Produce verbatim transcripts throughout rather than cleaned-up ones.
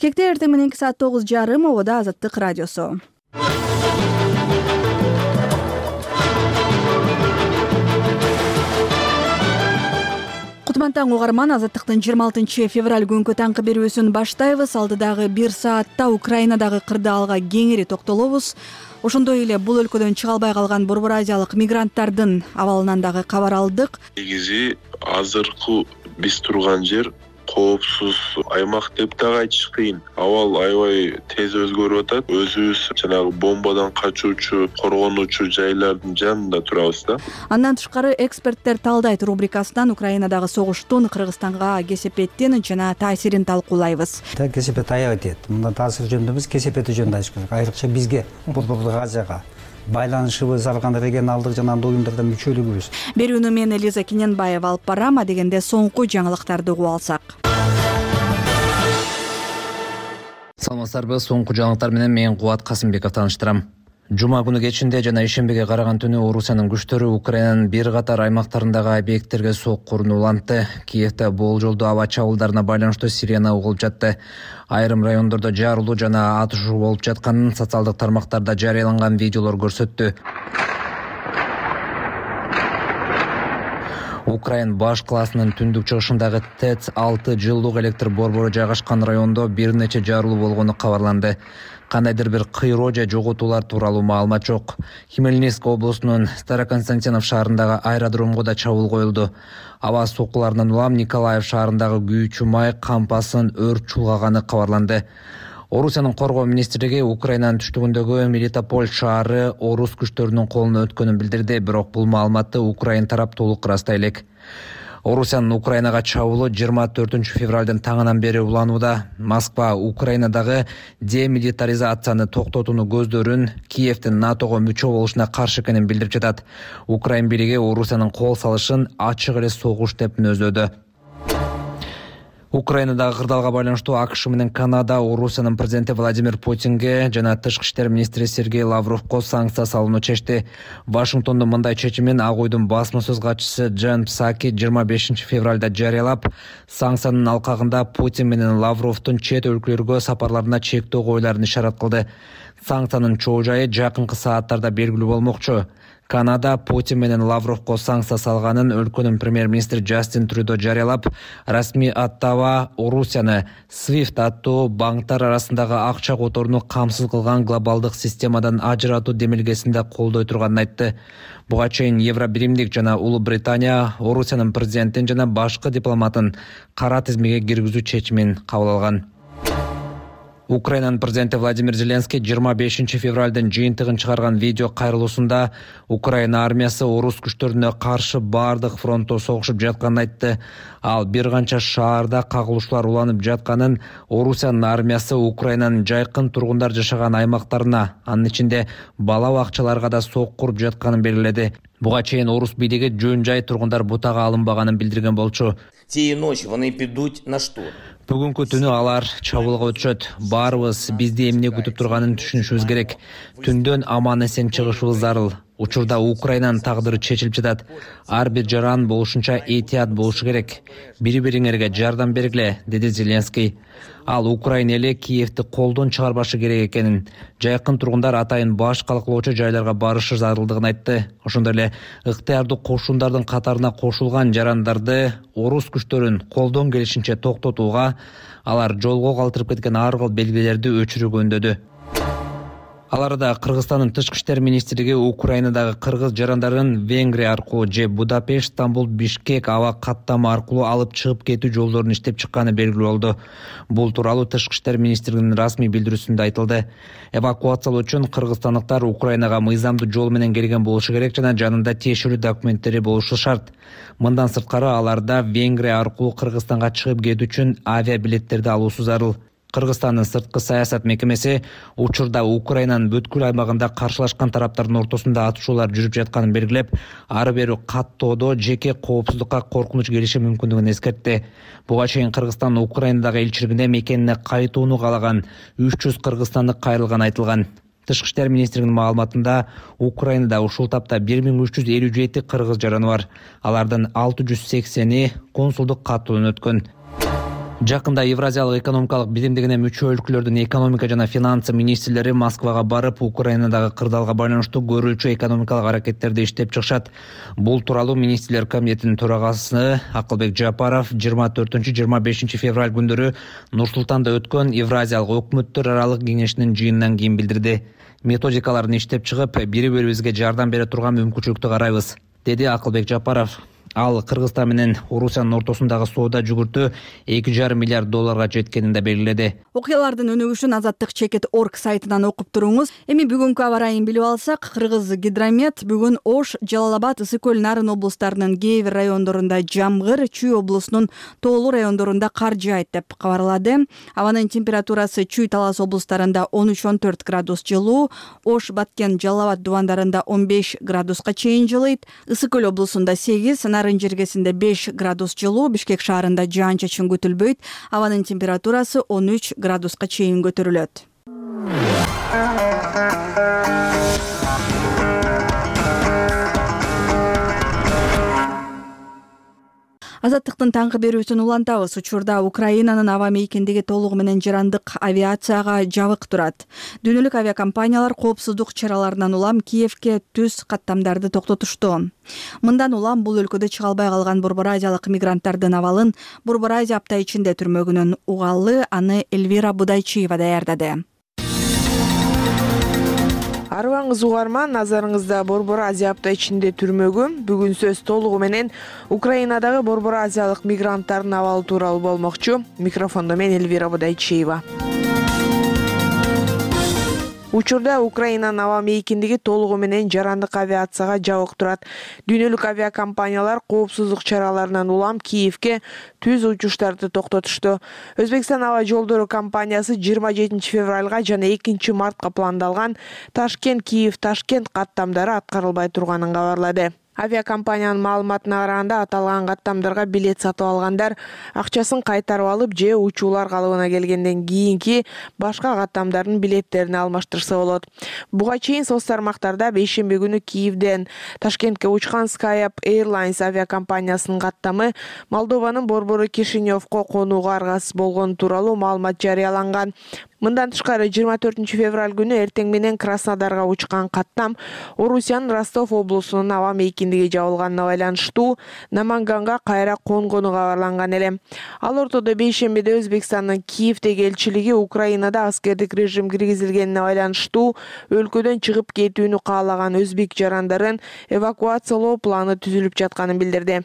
Кекте эртең мененки саат тогуз жарым обода Азаттык радиосу. Кутман таң угарман, Азаттыктын жыйырма алтынчы февраль күнкү таңкы берүүсүн баштайбыз. Алдыдагы бир саатта Украинадагы кырдаалга кеңири токтолобуз. Ошондой эле бул өлкөдөн чыга албай калган Борбор Азиялык мигранттардын абалынан дагы кабар алдык. Негизи азыркы биз турган жер коопсуз аймак деп дагы айтыш кыйын. Абал аябай тез өзгөрүп атат. Өзүбүз жанагы бомбадан качуучу, коргонуучу жайлардын жанында турабыз да. Андан тышкары эксперттер талдайт рубрикасынан Украинадагы согуштун Кыргызстанга кесепетин жана таасирин талкуулайбыз. Кесепет аябай тиет. Мындан таасир жөнүндө эмес, кесепети жөнүндө айтыш керек. Айрыкча бизге Борбор Азияга байланышыбыз, алган регионалдык жана андый уюмдарда мүчөлүгүбүз. Берүүнү мен Элиза Кененбаева алып барам, а дегенде соңку жаңылыктарды угуп алсак. Саламатсыздарбы, соңку жаңылыктар менен мен Кубат Касымбеков тааныштырам. Жума күнү кечинде жана ишембиге караган түнү Орусиянын күчтөрү Украинанын бир катар аймактарындагы объекттерге соккурун улантты. Киевде болжолдуу аба чабуулдарына байланыштуу сирена угулуп жатты. Айрым райондордо жарылуу жана атышуу болуп жатканын социалдык тармактарда жарыяланган видеолор көрсөттү. Украин баш классынын түндүк чыгышындагы ТЭЦ алты жылдык электр борбору жайгашкан райондо бир нече жарылуу болгону кабарланды. Кандайдыр бир кыйроо же жоготуулар тууралуу маалымат жок. Хмельницк облусунун Староконстантинов шаарындагы аэродромго да чабуул коюлду. Аба соккуларынан улам Николаев шаарындагы күйүүчү май кампасын өрт чулгаганы кабарланды. Орусиянын коргоо министрлиги Украинанын түштүгүндөгү Мелитополь шаары орус күчтөрүнүн колуна өткөнүн билдирди, бирок бул маалыматты Украин тарап толук ырастай элек. Орусиянын Украинага чабуулу жыйырма төртүнчү февралдын таңынан бери уланууда. Москва Украинадагы демилитаризацияны токтотууну көздөрүн, Киевдин НАТОго мүчө болушуна каршы экенин билдирип жатат. Украин бийлиги Орусиянын кол салышын ачык эле согуш деп мүнөздөдү. Украинадагы кырдаалга байланыштуу АКШ менен Канада Орусиянын президенти Владимир Путинге жана тышкы иштер министри Сергей Лавровго санкция салууну чечти. Вашингтондун мындай чечимин Ак Уйдун басма сөз катчысы Джен Псаки жыйырма бешинчи февралда жарыялап, санкциянын алкагында Путин менен Лавровдун чет өлкөлөргө сапарларына чектөө коюларын ишарат кылды. Санкциянын чоо жайы жакынкы сааттарда белгилүү болмокчу. Канада Путин менен Лавровго санкция салганын өлкөнүн премьер-министри Джастин Трюдо жарыялап, расмий аттава Орусияны свифт аттуу банктар арасындагы акча которууну камсыз кылган глобалдык системадан ажыратуу демилгесинде колдой турганын айтты. Буга чейин Евробиримдик жана Улуу Британия Орусиянын президентин жана башкы дипломатын кара тизмеге киргизүү чечимин кабыл алган. Украинанын президенти Владимир Зеленский жыйырма бешинчи февралдын жыйынтыгын чыгарган видео кайрылуусунда Украина армиясы орус күчтөрүнө каршы бардык фронтто согушуп жатканын айтты. Ал бир канча шаарда кагылышуулар уланып жатканын, Орусиянын армиясы Украинанын жайкын тургундар жашаган аймактарына, анын ичинде бала бакчаларга да соккуруп жатканын белгиледи. Буга чейин орус бийлиги жөн жай тургундар бутага алынбаганын билдирген болчу. Цієї ночі вони підуть на штурм. Бүгүнкү түнү алар чабуулга өтүшөт. Баарыбыз бизди эмне күтүп турганын түшүнүшүбүз керек. Түндөн аман эсен чыгышыбыз зарыл. Учурда Украинанын тагдыры чечилип жатат. Ар бир жаран болушунча этият болушу керек. Бири-бириңерге жардам бергиле, деди Зеленский. Ал Украина эли Киевди колдон чыгарбашы керек экенин, жайкын тургундар атайын баш калкылоочу жайларга барышы зарылдыгын айтты. Ошондой эле ыктыярдуу кошундардын катарына кошулган жарандарды орус күчтөрүн колдон келишинче токтотууга, алар жолго калтырып кеткен ар кыл белгилерди өчүрүүгө үндөдү. Аларда Кыргызстандын тышкы иштер министрлиги Украинадагы кыргыз жарандарын Венгрия аркылуу же Будапешт, Стамбул, Бишкек аба каттама аркылуу алып чыгып кетүү жолдорун иштеп чыкканы белгилүү болду. Бул тууралуу тышкы иштер министрлигинин расмий билдирүүсүндө айтылды. Эвакуациялоо үчүн кыргызстандыктар Украинага мыйзамдуу жол менен келген болушу керек жана жанында тиешелүү документтери болушу шарт. Мындан сырткары аларда Венгрия аркылуу Кыргызстанга чыгып кетүү үчүн авиабилеттерди алуусу зарыл. Кыргызстандын сырткы саясат мекемеси учурда Украинанын бүткүл аймагында каршылашкан тараптардын ортосунда атышуулар жүрүп жатканын белгилеп, ары бери каттоодо жеке коопсуздукка коркунуч келиши мүмкүндүгүн эскертти. Буга чейин Кыргызстан Украинадагы элчилигине мекенине кайтууну каалаган үч жүз кыргызстандык кайрылганы айтылган. Тышкы иштер министрлигинин маалыматында Украинада ушул тапта бир миң үч жүз элүү жети кыргыз жараны бар. Алардын алты жүз сексени консулдук каттоодон өткөн. Жакында Евразиялык экономикалык биримдигине мүчө өлкөлөрдүн экономика жана финансы министрлери Москвага барып, Украинадагы кырдаалга байланыштуу көрүүчү экономикалык аракеттерди иштеп чыгышат. Бул тууралуу министрлер комитетинин төрагасы Акылбек Жапаров жыйырма төртүнчү жыйырма бешинчи февраль күндөрү Нур-Султанда өткөн Евразиялык өкмөттөр аралык кеңешинин жыйынынан кийин билдирди. Методикаларын иштеп чыгып, бири бирибизге жардам бере турган мүмкүнчүлүктү карайбыз, деди Акылбек Жапаров. Ал Кыргызстан менен Орусиянын ортосундагы соода жүгүртүү эки жарым миллиард долларга жеткенин да белгиледи. Окуялардын өнүгүшүн азаттык чекит точка орг сайтынан окуп туруңуз. Эми бүгүнкү аба ырайын билип алсак, Кыргыз гидромет бүгүн Ош, Жалал Абад, Ысык көл, Нарын облустарынын кээ бир райондорунда жамгыр, Чүй облусунун тоолуу райондорунда кар жаайт деп кабарлады. Абанын температурасы Чүй, Талас облустарында он үч он төрт градус жылуу, Ош, Баткен, Жалал Абад дубандарында он беш градуска чейин жылыйт, Ысык көл облусунда сегиз, Нарын жергесинде беш градус жылуу, Бишкек шаарында жаан-чачын күтүлбөйт. Абанын температурасы он үч градуска чейин көтөрүлөт. Азаттыктын таңкы берүүсүн улантабыз. Учурда Украинанын аба мейкиндиги толугу менен жарандык авиацияга жабык турат. Дүйнөлүк авиакомпаниялар коопсуздук чараларынан улам Киевке түз каттамдарды токтотушту. Мындан улам бул өлкөдө чыга албай калган Борбор Азиялык мигранттардын абалын Борбор Азия апта ичинде түрмөгүнөн угалы. Аны Эльвира Будайчиева даярдады. Арыбаңыз угарман, назарыңызда Борбор Азия апта ичинде түрмөгү. Бүгүн сөз толугу менен Украинадагы Борбор Азиялык мигранттардын абалы тууралуу болмокчу. Микрофондо мен Эльвира Будайчиева. Учурда Украинанын аба мейкиндиги толугу менен жарандык авиацияга жабык турат. Дүйнөлүк авиакомпаниялар коопсуздук чараларынан улам Киевке түз учуштарды токтотушту. Өзбекстан аба жолдору компаниясы жыйырма жетинчи февралга жана экинчи мартка пландалган Ташкент-Киев-Ташкент каттамдары аткарылбай турганын кабарлады. Авиакомпаниянын маалыматына караганда, аталган каттамдарга билет сатып алгандар акчасын кайтарып алып же учуулар калыбына келгенден кийинки башка каттамдардын билеттерин алмаштырса болот. Буга чейин соц тармактарда бейшемби күнү Киевден Ташкентке учкан Skype Airlines авиакомпаниясынын каттамы Молдованын борбору Кишиневко конууга аргасыз болгону тууралуу маалымат жарыяланган. Мындан тышкары жыйырма төртүнчү февраль күнү эртең менен Краснодарга учкан каттам Орусиянын Ростов облусунун аба мейкиндиги жабылганына байланыштуу Наманганга кайра конгону кабарланган эле. Ал ортодо бейшембиде Өзбекстандын Киевдеги элчилиги Украинада аскердик режим киргизилгенине байланыштуу өлкөдөн чыгып кетүүнү каалаган өзбек жарандарын эвакуациялоо планы түзүлүп жатканын билдирди.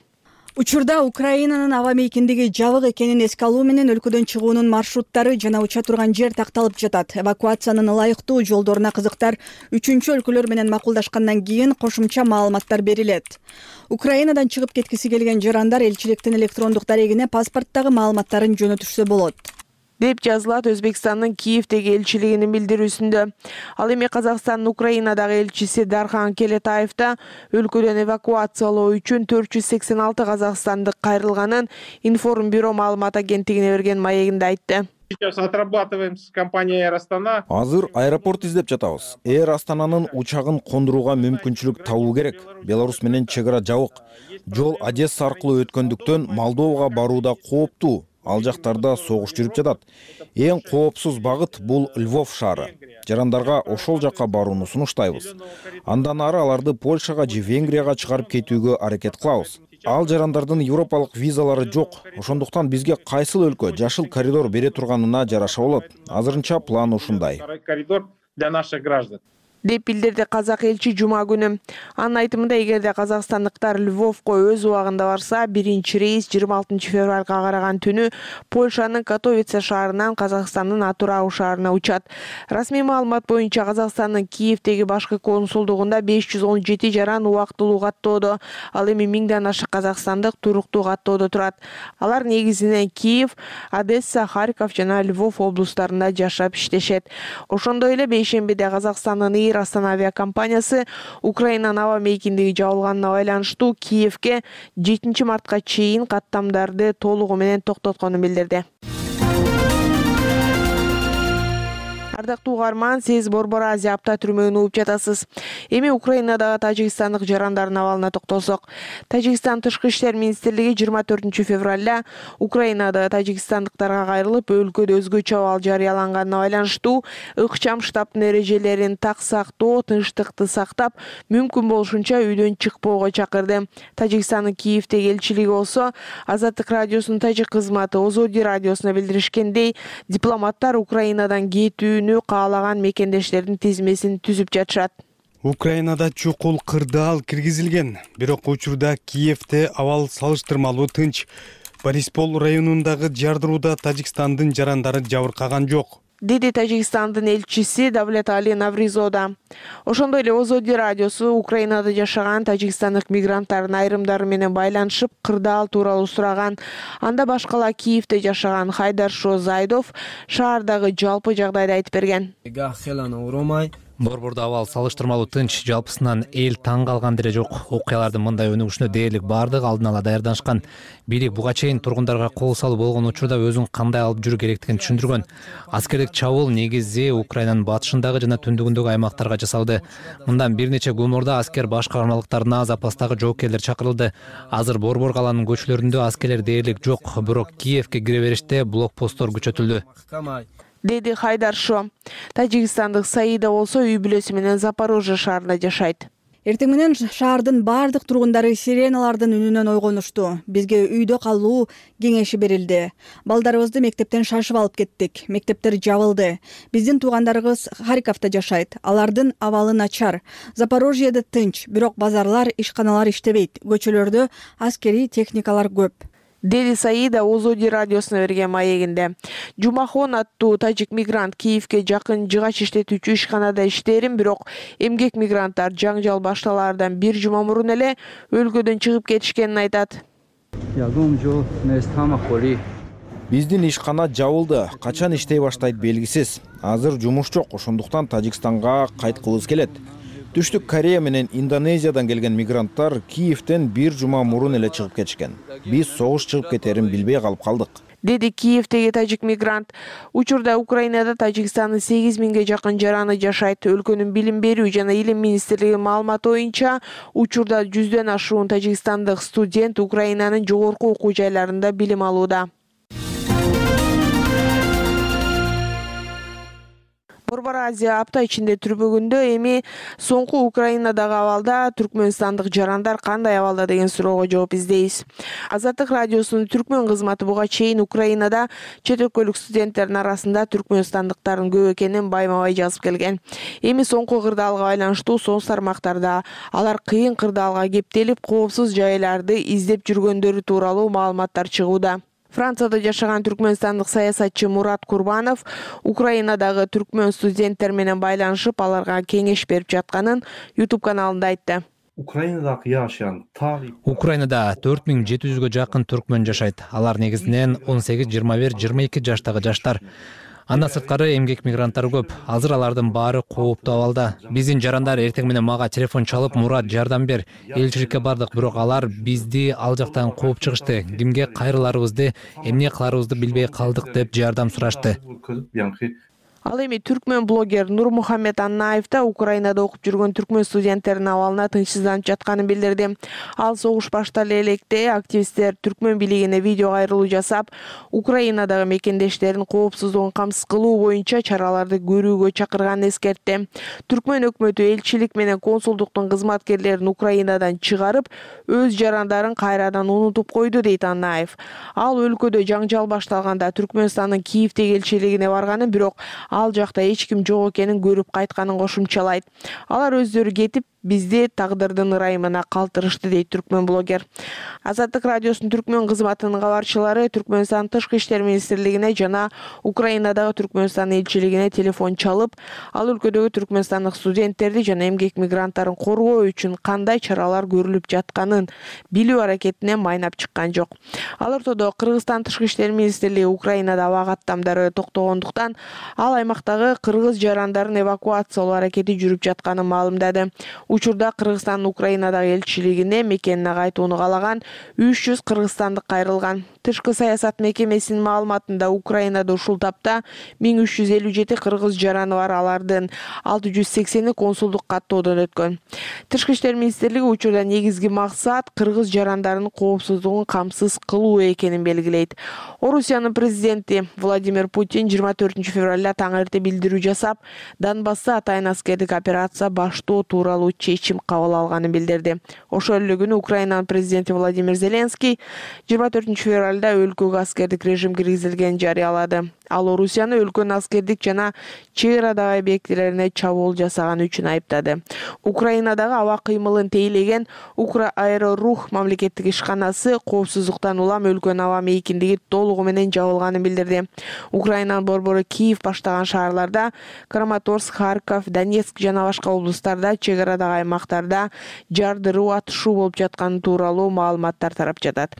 Учурда Украинанын аба мейкиндиги жабык экенин эске алуу менен өлкөдөн чыгуунун маршруттары жана уча турган жер такталып жатат. Эвакуациянын ылайыктуу жолдоруна кызыктар үчүнчү өлкөлөр менен макулдашкандан кийин кошумча маалыматтар берилет. Украинадан чыгып кеткиси келген жарандар элчиликтин электрондук дарегине паспорттагы маалыматтарын жөнөтүшсө болот, деп жазылат Өзбекстандын Киевдеги элчилигинин билдирүүсүндө. Ал эми Казакстандын Украинадагы элчиси Дархан Келетаев да өлкөдөн эвакуациялоо үчүн төрт жүз сексен алты казакстандык кайрылганын Информбюро маалымат агенттигине берген маегинде айтты. Сейчас отрабатываем с компанией Air Astana. Азыр аэропорт издеп жатабыз. Air Астананын учагын кондурууга мүмкүнчүлүк табуу керек. Беларусь менен чек ара жабык. Жол Одесса аркылуу өткөндүктөн Молдовага барууда кооптуу. Ал жактарда согуш жүрүп жатат. Эң коопсуз багыт бул Львов шаары. Жарандарга ошол жакка барууну сунуштайбыз. Андан ары аларды Польшага же Венгрияга чыгарып кетүүгө аракет кылабыз. Ал жарандардын европалык визалары жок. Ошондуктан бизге кайсыл өлкө жашыл коридор бере турганына жараша болот. Азырынча план ушундай. Коридор для наших граждан. деп билдирди казак элчи жума күнү. Анын айтымында, эгерде казакстандыктар Львовко өз убагында барса, биринчи рейс жыйырма алтынчы февралга караган түнү Польшанын Катовице шаарынан Казакстандын Атырау шаарына учат. Расмий маалымат боюнча Казакстандын Киевдеги башкы консулдугунда беш жүз он жети жаран убактылуу каттоодо, ал эми миңден ашык казакстандык туруктуу каттоодо турат. Алар негизинен Киев, Одесса, Харьков жана Львов облустарында жашап иштешет. Ошондой эле бейшембиде Казакстандын Астана авиакомпаниясы Украинанын аба мейкиндиги жабылганына байланыштуу Киевке жетинчи мартка чейин каттамдарды толугу менен токтотконун билдирди. Ардактуу угарман, сиз Борбор Азия апта түрмөгүн угуп жатасыз. Эми Украинадагы тажикстандык жарандардын абалына токтолсок. Тажикстан тышкы иштер министрлиги жыйырма төртүнчү февралда Украинада тажикстандыктарга кайрылып, өлкөдө өзгөчө абал жарыяланганына байланыштуу ыкчам штабтын эрежелерин так сактоо, тынчтыкты сактап, мүмкүн болушунча үйдөн чыкпоого чакырды. Тажикстандын Киевдеги элчилиги болсо Азаттык радиосунун тажик кызматы Озоди радиосуна билдиришкендей, дипломаттар Украинадан кетүүнү каалаган мекендештердин тизмесин түзүп жатышат. Украинада чукул кырдаал киргизилген, бирок учурда Киевде абал салыштырмалуу тынч. Бориспол районундагы жардырууда Тажикстандын жарандары жабыркаган жок, деди Тажикстандын элчиси Давлетали Навризода. Ошондой эле Озоди радиосу Украинада жашаган тажикстандык мигранттардын айрымдары менен байланышып, кырдаал тууралуу сураган. Анда башкала Киевде жашаган Хайдаршо Зайдов шаардагы жалпы жагдайды айтып берген. Борбордо абал салыштырмалуу тынч, жалпысынан эл таң калган деле жок. Окуялардын мындай өнүгүшүнө дээрлик баардыгы алдын ала даярданышкан. Бийлик буга чейин тургундарга кол салуу болгон учурда өзүн кандай алып жүрүү керектигин түшүндүргөн. Аскердик чабуул негизи Украинанын батышындагы жана түндүгүндөгү аймактарга жасалды. Мындан бир нече күн мурда аскер баш каармалыктарына запастагы жоокерлер чакырылды. Азыр Борбор калаанын көчөлөрүндө аскерлер дээрлик жок, бирок Киевге кире бериште блокпосттор күчөтүлдү, деди Хайдаршо. Тажикстандык Саида болсо үй бүлөсү менен Запорожье шаарында жашайт. Эртең менен шаардын бардык тургундары сиреналардын үнүнөн ойгонушту. Бизге үйдө калуу кеңеши берилди. Балдарыбызды мектептен шашып алып кеттик. Мектептер жабылды. Биздин туугандарыбыз Харьковдо жашайт. Алардын абалы начар. Запорожьеде тынч, бирок базарлар, ишканалар иштебейт. Көчөлөрдө аскерий техникалар көп, деди Саида Озоди радиосуна берген маегинде. Жумахон аттуу тажик мигрант Киевге жакын жыгач иштетүүчү ишканада иштээрин, бирок эмгек мигранттар жаңжал башталаардан бир жума мурун эле өлкөдөн чыгып кетишкенин айтат. Биздин ишкана жабылды, качан иштей баштайт белгисиз. Азыр жумуш жок, ошондуктан Тажикстанга кайткыбыз келет. Түштүк Корея менен Индонезиядан келген мигранттар Киевден бир жума мурун эле чыгып кетишкен. Биз согуш чыгып кетерин билбей калып калдык, деди Киевдеги тажик мигрант. Учурда Украинада Тажикстандын сегиз миңге жакын жараны жашайт. Өлкөнүн билим берүү жана илим министрлигинин маалыматы боюнча, учурда жүздөн ашуун тажикстандык студент Украинанын жогорку окуу жайларында билим алууда. Борбор Азия апта ичинде түрбөгүндө эми соңку Украинадагы абалда түркмөнстандык жарандар кандай абалда деген суроого жооп издейбиз. Азаттык радиосунун түркмөн кызматы буга чейин Украинада чет өлкөлүк студенттердин арасында түркмөнстандыктардын көп экенин байма-бай жазып келген. Эми соңку кырдаалга байланыштуу соц тармактарда алар кыйын кырдаалга кептелип, коопсуз жайларды издеп жүргөндөрү тууралуу маалыматтар чыгууда. Францияда жашаган түркмөнстандык саясатчы Мурат Курбанов Украинадагы түркмөн студенттер менен байланышып, аларга кеңеш берип жатканын YouTube каналында айтты. Украинада жашаган Украинада төрт миң жети жүзгө жакын түркмөн жашайт. Алар негизинен он сегиз, жыйырма бир, жыйырма эки жаштагы жаштар. Андан сырткары эмгек мигранттары көп. Азыр алардын баары кооптуу абалда. Биздин жарандар эртең менен мага телефон чалып, Мурат, жардам бер. Элчиликке бардык, бирок алар бизди ал жактан кууп чыгышты. Кимге кайрыларыбызды, эмне кыларыбызды билбей калдык деп жардам сурашты. Ал эми түркмөн блогер Нурмухаммед Аннаев да Украинада окуп жүргөн түркмөн студенттердин абалына тынчсызданып жатканын билдирди. Ал согуш баштале электе активисттер түркмөн бийлигине видео кайрылуу жасап, Украинадагы мекендештерин коопсуздугун камсыз кылуу боюнча чараларды көрүүгө чакырганын эскертти. Түркмөн өкмөтү элчилик менен консулдуктун кызматкерлерин Украинадан чыгарып, өз жарандарын кайрадан унутуп койду, дейт Аннаев. Ал өлкөдө жаңжал башталганда Түркмөнстандын Киевдеги элчилигине барганын, бирок ал жакта эч ким жок экенин көрүп кайтканын кошумчалайт. Алар өздөрү кетип, бизди тагдырдын ырайымына калтырышты, дейт түркмөн блогер. Азаттык радиосунун түркмөн кызматынын кабарчылары Түркмөнстан тышкы иштер министрлигине жана Украинадагы Түркмөнстан элчилигине телефон чалып, ал өлкөдөгү түркмөнстандык студенттерди жана эмгек мигранттарын коргоо үчүн кандай чаралар көрүлүп жатканын билүү аракетине майнап чыккан жок. Ал ортодо Кыргызстан тышкы иштер министрлиги Украинада аба каттамдары токтогондуктан ал аймактагы кыргыз жарандарын эвакуациялоо аракети жүрүп жатканын маалымдады. Учурда Кыргызстандын Украинадагы элчилигине мекенине кайтууну каалаган үч жүз кыргызстандык кайрылган. Тышкы саясат мекемесинин маалыматында Украинада ушул тапта миң үч жүз элүү жети кыргыз жараны бар, алардын алты жүз сексени консулдук каттоодон өткөн. Тышкы иштер министрлиги учурда негизги максат кыргыз жарандарынын коопсуздугун камсыз кылуу экенин белгилейт. Орусиянын президенти Владимир Путин жыйырма төртүнчү февралда таң эрте билдирүү жасап, Донбасста атайын аскердик операция баштоо тууралуу чечим кабыл алганын билдирди. Ошол эле күнү Украинанын президенти Владимир Зеленский жыйырма төртүнчү февралда өлкөгө аскердик режим киргизилгенин жарыялады. Ал Орусияны өлкөнүн аскердик жана чек арадагы объектилерине чабуул жасаганы үчүн айыптады. Украинадагы аба кыймылын тейлеген Укра-Аэрорух мамлекеттик ишканасы коопсуздуктан улам өлкөнүн аба мейкиндиги толугу менен жабылганын билдирди. Украинанын борбору Киев баштаган шаарларда Краматорск, Харьков, Донецк жана башка облустарда чек арадагы аймактарда жардыруу, атышуу болуп жатканы тууралуу маалыматтар тарап жатат.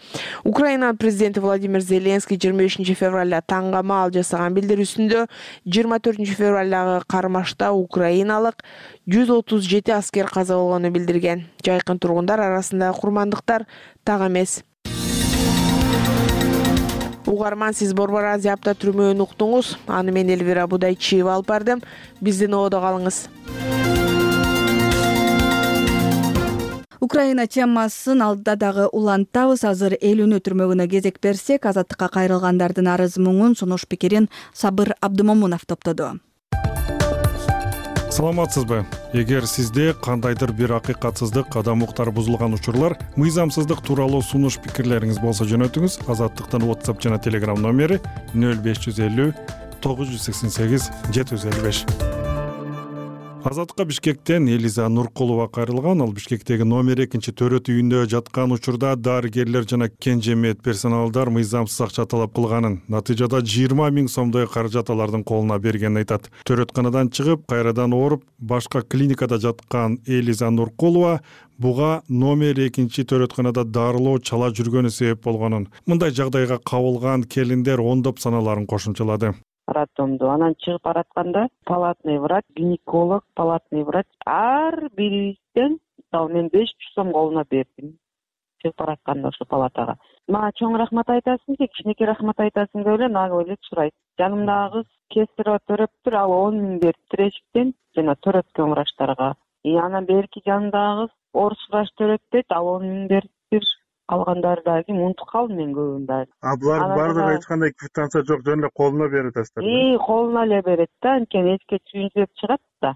Украинанын президенти Владимир Зеленский жыйырма бешинчи февралда таңгамаал жасаган билдирүүсүндө жыйырма төртүнчү февралдагы кармашта украиналык жүз отуз жети аскер каза болгонун билдирген. Жайкын тургундар арасындагы курмандыктар так эмес. Угарман, сиз Борбор Азия апта түрмөөнү уктуңуз. Аны мен Элвира Будайчиева алып бардым. Биздин ободо калыңыз. Украина темасын алдыда дагы улантабыз. Азыр эл үнү түрмөгүнө кезек берсек, азаттыкка кайрылгандардын арыз муңун, сунуш пикирин Сабыр Абдымомунов топтоду. Саламатсызбы? Эгер сизде кандайдыр бир акыйкатсыздык, адам укуктары бузулган учурлар, мыйзамсыздык тууралуу сунуш пикирлериңиз болсо жөнөтүңүз. Азаттыктын WhatsApp жана Telegram номери нөл беш жүз элүү тогуз жүз сексен сегиз жети жүз элүү беш. Азаттыкка Бишкектен Элиза Нуркулова кайрылган. Ал Бишкектеги номер экинчи төрөт үйүндө жаткан учурда дарыгерлер жана кенже медперсоналдар мыйзамсыз акча талап кылганын, натыйжада жыйырма миң сомдой каражат алардын колуна бергенин айтат. Төрөтканадан чыгып, кайрадан ооруп, башка клиникада жаткан Элиза Нуркулова буга номер экинчи төрөтканада дарылоо чала жүргөнү себеп болгонун, мындай жагдайга кабылган келиндер ондоп саналарын кошумчалады. Роддомду анан чыгып баратканда палатный врач, гинеколог, палатный врач ар бирибизден мисалы мен беш жүз сом колуна бердим. Чыгып баратканда ошо палатага. Мага чоң рахмат айтасың же, кичинекей рахмат айтасың деп эле нагы эле сурайт. Жанымдагы кыз кесиро төрөптүр, ал он миң бериптир эшиктен жана төрөткөн врачтарга. И анан берки жанымдагы кыз орус врач төрөт дейт, ал он миң бериптир. Калгандары дагы унутуп калдым мен көбүн дагы. А булардын баардыгы эч кандай квитанция жок, жөн эле колуна берип атасыздар. И колуна эле берет да, анткени эчке чүйүнчүп чыгат да.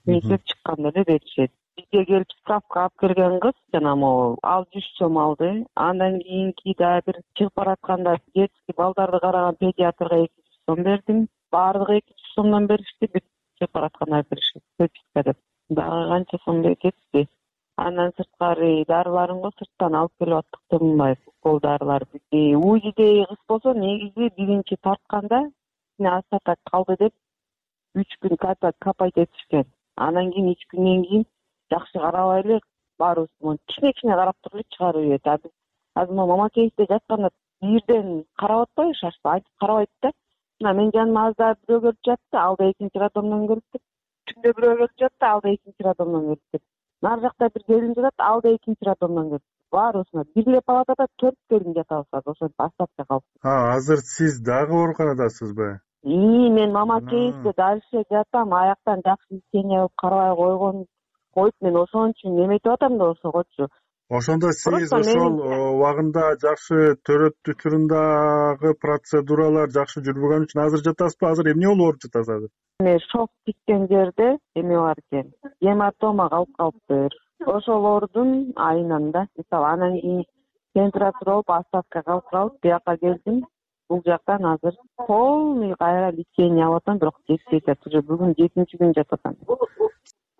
Чүйүнчүп чыкканда эле беришет. Бизге келип справка алып келген кыз жана могу ал жүз сом алды. Андан кийинки дагы бир чыгып баратканда детский балдарды караган педиатрга эки жүз сом бердим. Баардыгы эки жүз сомдон беришти, бүт чыгып баратканда беришет. Прописка деп. Дагы канча сом кетти. Андан сырткары дарыларын го сырттан алып келип аттык деп мындай укол дарылар. УЗИдеги кыз болсо негизи биринчи тартканда астата калды деп үч күн капайт этишкен. Анан кийин үч күндөн кийин жакшы карабай эле баарыбыз кичине кичине карап туруп эле чыгарып ийет. Азыр мама кейсте жатканда бирден карап атпайбы, шашпы айтып карабайт да. Мына мен жаныма азда бирөө келип жатты, ал да экинчи роддомдон келип, түндө бирөө келип жатты, ал да экинчи роддомдон келип. Нар жакта бир келин жатат, ал да экинчи роддомдон келип. Баарыбызна бир эле палатада төрт келин жатабыз, ошентип астапка калып. А, азыр сиз дагы ооруканадасызбы? И, мен мама кейсте дальше жатам, аяктан жакшы лечение кылып карабай койгон коюп, мен ошон үчүн неметип атам да ошогочу. Ошондо сиз ошол убагында жакшы төрөт учурундагы процедуралар жакшы жүрбөгөн үчүн азыр жатасызбы? Азыр эмне болуп ооруп жатасыз азыр? Мен шок тиккен жерде эме бар экен. Гематома калып калыптыр. Ошол оорудун айынан да, мисалы анан кийин температура болуп астатка калып калып, бияка келдим. Бул жактан азыр полный кайра лечение алып атам, бирок жетпейт. Уже бүгүн жетинчи күн жатып атам.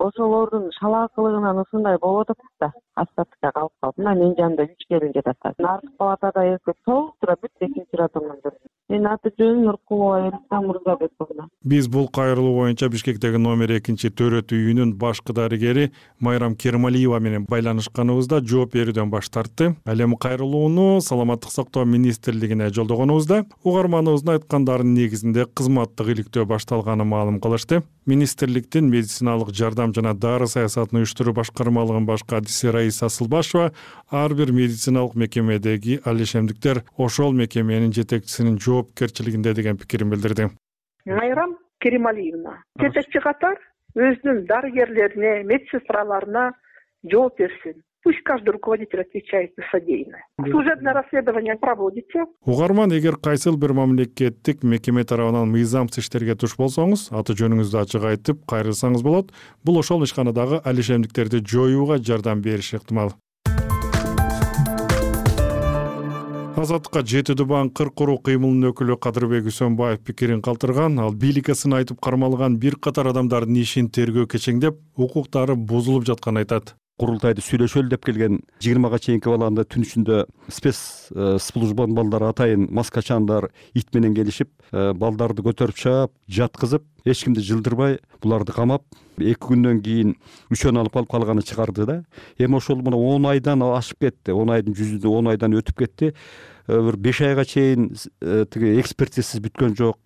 Ошол оорудун шалаакылыгынан ушундай болуп атат да, астатка калып калып. Мына менин жанымда үч келин жатат. Наркы палатада эки толук тура бүт экинчи роддомдон келди. Менин аты жөнүм Нуркулова Элиза Мурзабековна. Биз бул кайрылуу боюнча Бишкектеги номер экинчи төрөт үйүнүн башкы дарыгери Майрам Кермалиева менен байланышканыбызда жооп берүүдөн баш тартты. Ал эми кайрылууну Саламаттык сактоо министрлигине жолдогонубузда угарманыбыздын айткандарынын негизинде кызматтык иликтөө башталганын маалым кылышты. Министрликтин медициналык жардам жана дары саясатын уюштуруу башкармалыгынын баш кадиси Раиса Асылбашева ар бир медициналык мекемедеги алишемдиктер ошол мекеменин жетекчисинин жоопкерчилигинде деген пикирин билдирди. Майрам Керималиевна жетекчи катар өзүнүн дарыгерлерине, медсестраларына жооп берсин. Пусть каждый руководитель отвечает за содеянное. Служебное расследование проводите. Угарман, эгер кайсыл бир мамлекеттик мекеме тарабынан мыйзамсыз иштерге туш болсоңуз, аты жөнүңүздү ачык айтып кайрылсаңыз болот. Бул ошол ишканадагы алишемдиктерди жоюуга жардам бериши ыктымал. Азаттыкка жети дубан кыр куруу кыймылынын өкүлү Кадырбек Үсөнбаев пикирин калтырган. Ал бийликке сын айтып кармалган бир катар адамдардын ишин тергөө кечеңдеп, укуктары бузулуп жатканын айтат. Курултайды сүйлөшөлү деп келген жыйырмага чейинки баланы түн ичинде спец службанын балдары атайын маскачандар ит менен келишип, балдарды көтөрүп чаап, жаткызып, эч кимди жылдырбай, буларды камап, эки күндөн кийин үчөөнү алып калып калганы чыгарды да. Эми ошол мына он айдан ашып кетти. он айдын жүзүндө он айдан өтүп кетти. Бир беш айга чейин тиги экспертизасы бүткөн жок.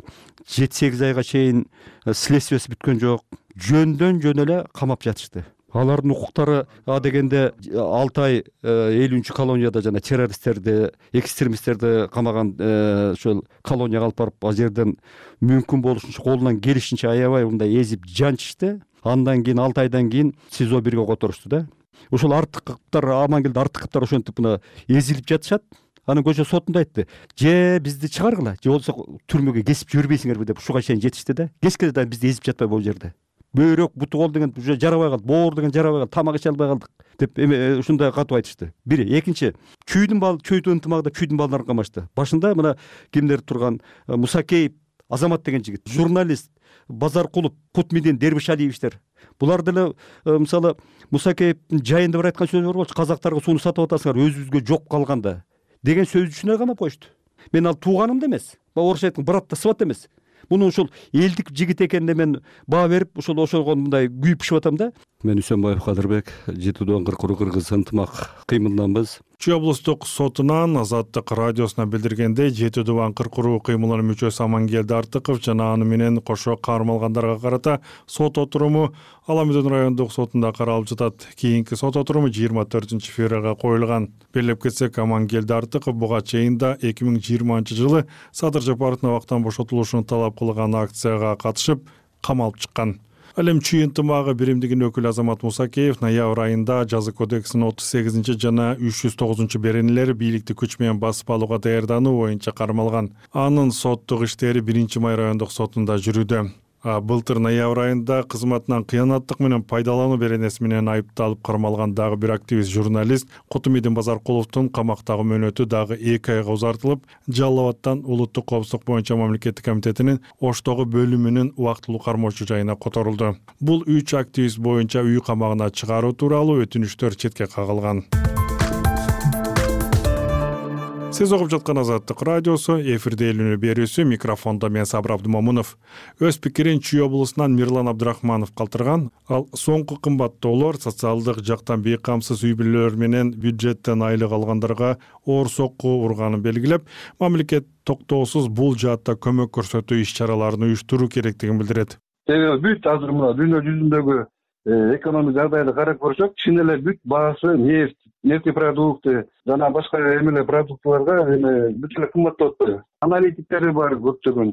жети сегиз айга чейин следствиясы бүткөн жок. Жөндөн жөн эле камап жатышты. Алардын укуктары а дегенде алты ай элүүнчү колонияда жана террористтерди, экстремисттерди камаган ошол колонияга алып барып, ал жерден мүмкүн болушунча колунан келишинче аябай мындай эзип жанчышты. Андан кийин алты айдан кийин СИЗО бирге которушту да. Ошол артыктар, Амангелди артыктар ошентип мына эзилип жатышат. Анын көчө сотунда айтты: "Же бизди чыгаргыла, же болсо түрмөгө кесип жибербейсиңерби" деп ушуга чейин жетишти да. Кеске да бизди эзип жатпай бул жерде. Бөйрөк, буту кол деген уже жарабай калды, боор деген жарабай калды, тамак иче албай калдык деп эме ушундай катып айтышты. Бири, экинчи, чүйдүн бал, чүйдүн ынтымагында чүйдүн балдарын камашты. Башында мына кимдер турган Мусакеев, Азамат деген жигит, журналист, Базаркулов, Кутмидин, Дербишалиевичтер. Булар деле мисалы Мусакеевдин жайында бир айткан сөзү бар болчу: "Казактарга сууну сатып атасыңар, өзүбүзгө жок калганда" деген сөз үчүн камап коюшту. Мен ал тууганымды эмес, орусча айткан братта сват эмес. Муну ошол элдик жигит экенине мен баа берип, ошол ошого мындай күйүп пишип атам да. Мен Үсөнбаев Кадырбек, жети дубан кыр куруу кыргыз ынтымак кыймылданбыз. Чүй облустук сотунан Азаттык радиосуна билдиргендей, жети дубан кыр куруу кыймылынын мүчөсү Амангелди Артыков жана аны менен кошо кармалгандарга карата сот отуруму Аламүдөн райондук сотунда каралып жатат. Кийинки сот отуруму жыйырма төртүнчү февралга коюлган. Белеп кетсек, Амангелди Артыков буга чейин да эки миң жыйырманчы жылы Садыр Жапаровдун абактан бошотулушун талап кылган акцияга катышып, камалып чыккан. Ал эми чүй ынтымагы биримдигинин өкүлү Азамат Мусакеев ноябрь айында жаза кодексинин отуз сегизинчи жана үч жүз тогузунчу беренелери бийликти күч менен басып алууга даярдануу боюнча кармалган. Анын соттук иштери биринчи май райондук сотунда жүрүүдө. Былтыр ноябрь айында кызматынан кыянаттык менен пайдалануу беренеси менен айыпталып кармалган дагы бир активист журналист Кутумидин Базаркуловдун камактагы мөөнөтү дагы эки айга узартылып, Жалал Абадтан улуттук коопсуздук боюнча мамлекеттик комитетинин Оштогу бөлүмүнүн убактылуу кармоочу жайына которулду. Бул үч активист боюнча үй камагына чыгаруу тууралуу өтүнүчтөр четке кагылган. Сиз угуп жаткан Азаттык радиосу, эфирде элүүнү берүүсү, микрофондо мен Сабыр Абдумомунов. Өз пикирин Чүй облусунан Мирлан Абдрахманов калтырган. Ал соңку кымбаттоолор социалдык жактан бейкамсыз үй бүлөлөр менен бюджеттен айлык алгандарга оор сокку урганын белгилеп, мамлекет токтоосуз бул жаатта көмөк көрсөтүү иш-чараларын уюштуруу керектигин билдирет. Себеби бүт азыр мына дүйнө жүзүндөгү экономик жагдайды карап көрсөк, чын эле бүт баасы нефть, нефтепродукты жана башка эмелер продуктыларга эме бүт эле кымбаттап атпайбы? Аналитиктери бар көптөгөн,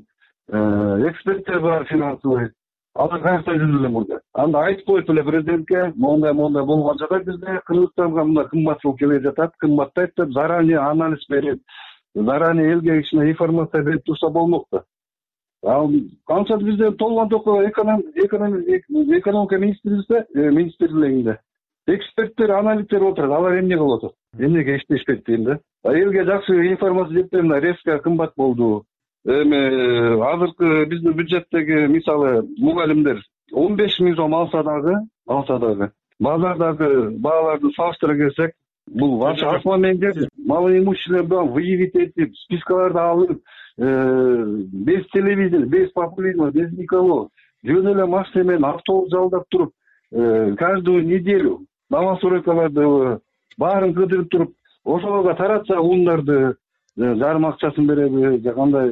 эксперттер бар финансовый. Алар каякта жүрүп эле мурда. Анда айтып коюп эле президентке, мондай мондай болгон жакта бизде Кыргызстанга мына кымбатчылык келе жатат, кымбаттайт деп заранее анализ берип, заранее элге кичине информация берип турса болмок да. Ал канча бизде толгон токо экономика министрлигинде эксперттер, аналиттер отурат, алар эмне кылып атат? Эмнеге иштешпейт дейм да. Элге жакшы информация жетпей мына резко кымбат болду. Эми азыркы биздин бюджеттеги мисалы мугалимдер он беш миң сом алса дагы, алса дагы базардагы бааларды салыштыра келсек, бул вообще асман менен жер малоимущественный выявить этип спискаларды алып, без телевидения, без популизма, без никого жөн эле машина менен автобус жалдап туруп, каждую неделю новостройкаларды баарын кыдырып туруп, ошолорго таратса ундарды жарым акчасын береби же кандай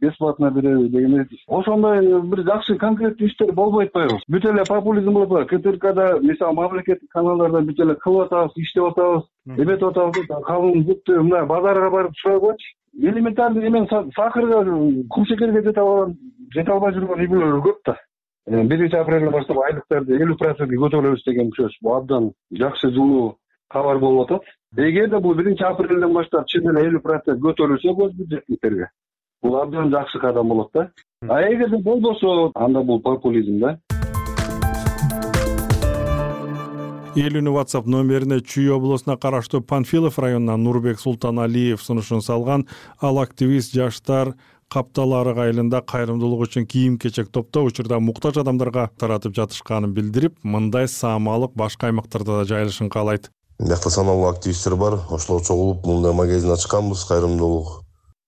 бесплатно береби деген ошондой бир жакшы конкреттүү иштер болбой атпайбы? Бүт эле популизм болуп атат. КТРКда мисалы мамлекеттик каналдарда бүт эле кылып атабыз, иштеп атабыз, эметип атабыз, калың жупту мына базарга барып сурагычы. Элементарный эмен сахарга, кумшекерге жете алган, жете албай жүргөн үй-бүлөлөр көп да. биринчи апрелден баштап айлыктарды элүү процентке көтөрөбүз деген сөз. Бул абдан жакшы жылуу кабар болуп атат. Эгерде бул биринчи апрелден баштап чын эле элүү процент көтөрүлсө көз бюджетниктерге, бул абдан жакшы кадам болот да. А эгерде болбосо, анда бул популизм да. Элүүнү WhatsApp номерине Чүй облусуна караштуу Панфилов районунан Нурбек Султаналиев сунушун салган. Ал активист жаштар Каптал-Арык айылында кайрымдуулук үчүн кийим-кечек топтоо учурда муктаж адамдарга таратып жатышканын билдирип, мындай саамалык башка аймактарда да жайылышын каалайт. Биякта саналуу активисттер бар, ошолор чогулуп мындай магазин ачканбыз, кайрымдуулук.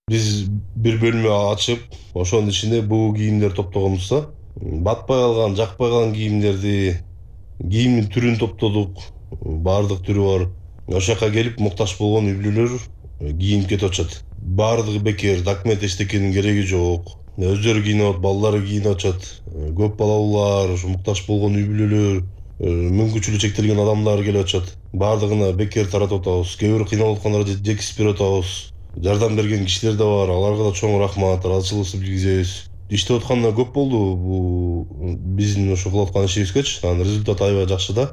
Биз бир бөлмө ачып, ошонун ичинде буу кийимдер топтогонбуз. Батпай калган, жакпай калган кийимдерди, кийимдин түрүн топтодук, баардык түрү бар. Ошол жака келип муктаж болгон үй-бүлөлөр кийинип кетип атышат. Баардыгы бекер, документ эчтекенин кереги жок. Өздөрү кийинип атат, балдары кийинип атышат. Көп балалуулар, муктаж болгон үй-бүлөлөр, мүмкүнчүлүгү чектелген адамдар келип атышат. Баардыгына бекер таратып атабыз. Кээ бирөө кыйналып аткандарды жеткизип берип атабыз. Жардам берген кишилер да бар, аларга да чоң рахмат, ыраазычылыгыбызды билгизебиз. Иштеп атканда көп болду бул биздин ошо кылып аткан ишибизгечи, анын результаты аябай жакшы да.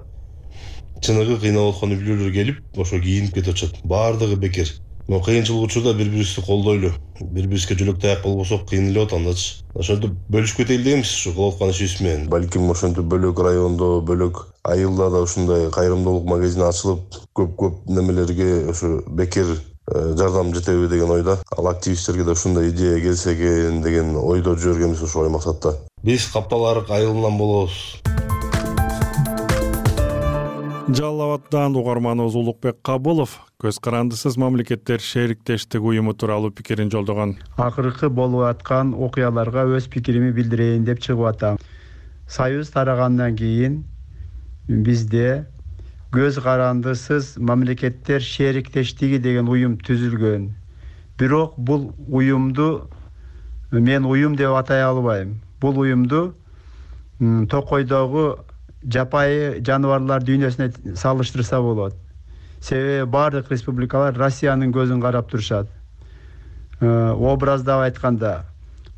Чыныгы кыйналып аткан үй-бүлөлөр келип, ошо кийинип кетип атышат. Баардыгы бекер. Но кыйынчылык учурда бири-бирибизди колдойлу. Бири-бирибизге жөлөк таяк болбосок кыйналып атат андачы. Ошентип бөлүшүп кетели дейбиз ушу кылып аткан ишибиз менен. Балким ошентип бөлөк райондо, бөлөк айылда да ушундай кайрымдуулук магазини ачылып, көп-көп немелерге ошо бекер жардам жетеби деген ойда. Ал активисттерге да ушундай идея келсе экен деген ойдо жүргөнбүз ошол максатта. Биз Каптал-Арык айылынан болобуз. Жалал Абаддан угарманыбыз Улукбек Кабылов көз карандысыз мамлекеттер шериктештик уюму тууралуу пикирин жолдогон. Акыркы болуп аткан окуяларга өз пикирими билдирейин деп чыгып атам. Союз тарагандан кийин бизде көз карандысыз мамлекеттер шериктештиги деген уюм түзүлгөн. Бирок бул уюмду мен уюм деп атай албайм. Бул уюмду Токойдогу жапайы жаныбарлар дүйнөсүнө салыштырса болот. Себеби бардык республикалар Россиянын көзүн карап турушат. Образдап айтканда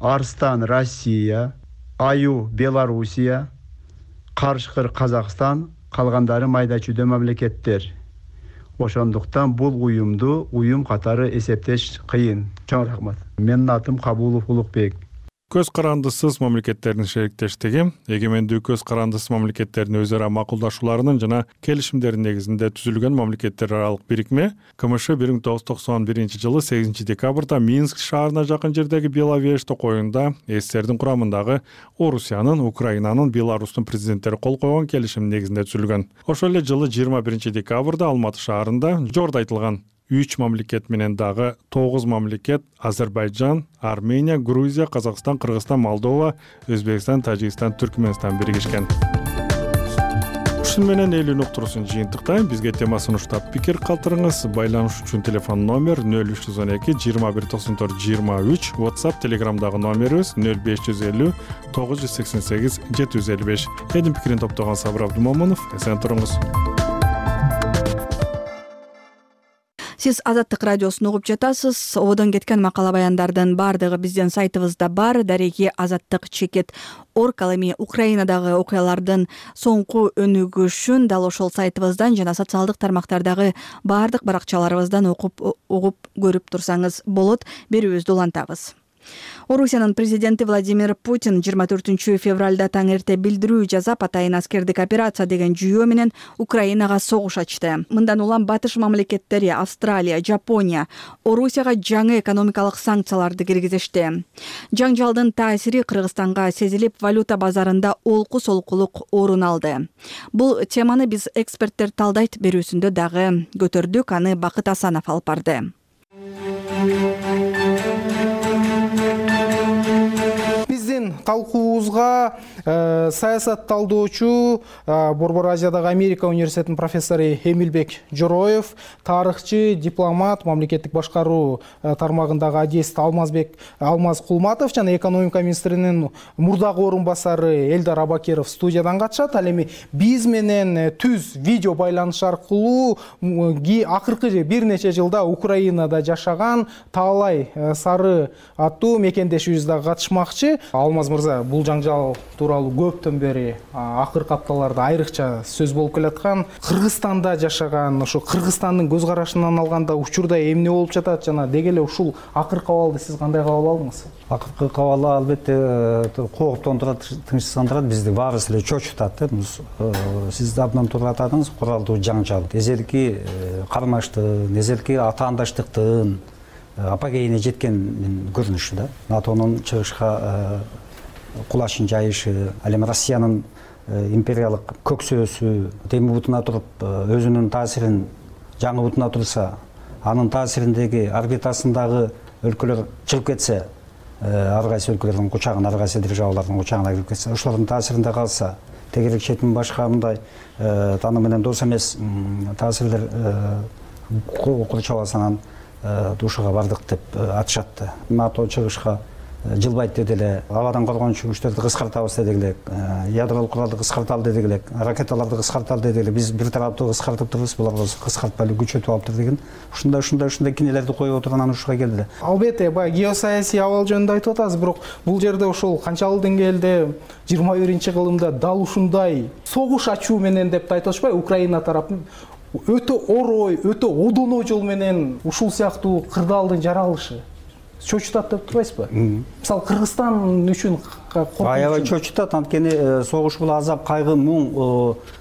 Арстан Россия, Аю Белоруссия, Карышкыр Казакстан, калгандары майда чүйдө мамлекеттер. Ошондуктан бул уюмду уюм катары эсептеш кыйын. Чоң рахмат. Менин атым Кабулов Улукбек. Көз карандысыз мамлекеттердин шериктештиги эгемендүү көз карандысыз мамлекеттердин өз ара макулдашууларынын жана келишимдердин негизинде түзүлгөн мамлекеттер аралык бирикме КМШ бир миң тогуз жүз токсон биринчи жылы сегизинчи декабрда Минск шаарына жакын жердеги Беловеж токоюнда СССРдин курамындагы Орусиянын, Украинанын, Беларустун президенттери кол койгон келишим негизинде түзүлгөн. Ошол эле жылы жыйырма биринчи декабрда Алматы шаарында жогоруда айтылган үч мамлекет менен дагы тогуз мамлекет Азербайжан, Армения, Грузия, Казакстан, Кыргызстан, Молдова, Өзбекстан, Тажикстан, Түркмөнстан биригишкен. Ушун менен элүүнү уктуруусун жыйынтыктайм. Бизге тема сунуштап пикир калтырыңыз. Байланыш үчүн телефон номер нөл үч жүз он эки жыйырма бир токсон төрт жыйырма үч, WhatsApp, Telegramдагы номерибиз нөл беш жүз элүү тогуз жүз сексен сегиз жети жүз элүү беш. Эдин пикирин топтогон Сабыр Абдумомунов. Эсен туруңуз. Сиз Азаттык радиосун угуп жатасыз. Ободон кеткен макала баяндардын баардыгы биздин сайтыбызда бар. Дареги азаттык чекит орг. Ал эми Украинадагы окуялардын соңку өнүгүшүн дал ошол сайтыбыздан жана социалдык тармактардагы баардык баракчаларыбыздан окуп угуп көрүп турсаңыз болот. Берүүбүздү улантабыз. Орусиянын президенти Владимир Путин жыйырма төртүнчү февралда таң эрте билдирүү жасап, атайын аскердик операция деген жүйөө менен Украинага согуш ачты. Мындан улам батыш мамлекеттери Австралия, Жапония Орусияга жаңы экономикалык санкцияларды киргизишти. Жаңжалдын таасири Кыргызстанга сезилип, валюта базарында олку-солкулук орун алды. Бул теманы биз эксперттер талдайт берүүсүндө дагы көтөрдүк. Аны Бакыт Асанов алып барды. Биздин талкуубузга э, саясат талдоочу э, Борбор Азиядагы Америка университетинин профессору Эмилбек Жороев, тарыхчы, дипломат, мамлекеттик башкаруу э, тармагындагы адист Алмазбек Алмаз Кулматов жана экономика министринин мурдагы орун басары Элдар Абакеров студиядан катышат. Ал эми биз менен түз видео байланыш аркылуу акыркы бир нече жылда Украинада жашаган Таалай Сары аттуу мекендешибиз дагы катышмакчы. Алмаз мырза, бул жаңжал тууралуу көптөн бери акыркы апталарда айрыкча сөз болуп келаткан. Кыргызстанда жашаган, ошо Кыргызстандын көз карашынан алганда учурда эмне болуп жатат жана деги эле ушул акыркы абалды сиз кандай кабыл алдыңыз? Акыркы кабалы албетте кооптондурат, тынчсыздандырат, бизди баарыбыз эле чочутат. Сиз абдан туура атадыңыз, куралдуу жаңжал. Эзелки кармаштын, эзелки атаандаштыктын апогейине жеткен көрүнүшү да. НАТОнун чыгышка кулашын жайышы, ал эми Россиянын империялык көксөөсү теми бутуна туруп өзүнүн таасирин жаңы бутуна турса, анын таасириндеги орбитасындагы өлкөлөр чыгып кетсе, ар кайсы өлкөлөрдүн кучагына, ар кайсы державалардын кучагына кирип кетсе, ошолордун таасиринде калса, тегерек четин башка мындай тааны менен дос эмес таасирлер курчабасынан душуга бардык деп атышатты. НАТО чыгышка жылбайт деди эле, абадан коргонуучу күчтөрдү кыскартабыз деди эле, ядролук куралды кыскарталы деди эле, ракеталарды кыскарталы деди эле. Биз бир тараптуу кыскартып турбуз, булар кыскартпай эле күчөтүп алыптыр деген. Ушундай ушундай ушундай кинелерди коюп отурган ушуга келди эле. Албетте, баягы геосаясий абал жөнүндө айтып атасыз, бирок бул жерде ошол канчалык деңгээлде жыйырма биринчи кылымда дал ушундай согуш ачуу менен деп да айта алышпай, Украина тарапы өтө орой, өтө одоно жол менен ушул сыяктуу кырдаалдын жаралышы чочутат деп турбайсызбы? Мисалы Кыргызстан үчүн аябай чочутат, анткени согуш бул азап, кайгы, муң,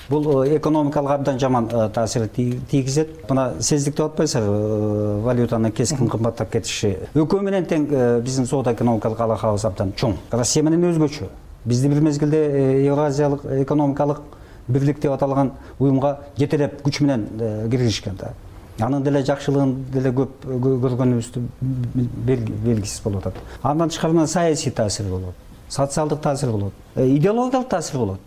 бул экономикалык абдан жаман таасир тийгизет. Мына сездик деп атпайсызбы, валютанын кескин кымбаттап кетиши. Экөө менен тең биздин соода экономикалык алакабыз абдан чоң. Россия менен өзгөчө. Бизди бир мезгилде Евразиялык экономикалык бирлик деп аталган уюмга жетелеп күч менен киргизишкен да. Анын деле жакшылыгын деле көп көргөнүбүздү белгисиз болуп атат. Андан тышкары саясий таасир болот, социалдык таасир болот, идеологиялык таасир болот.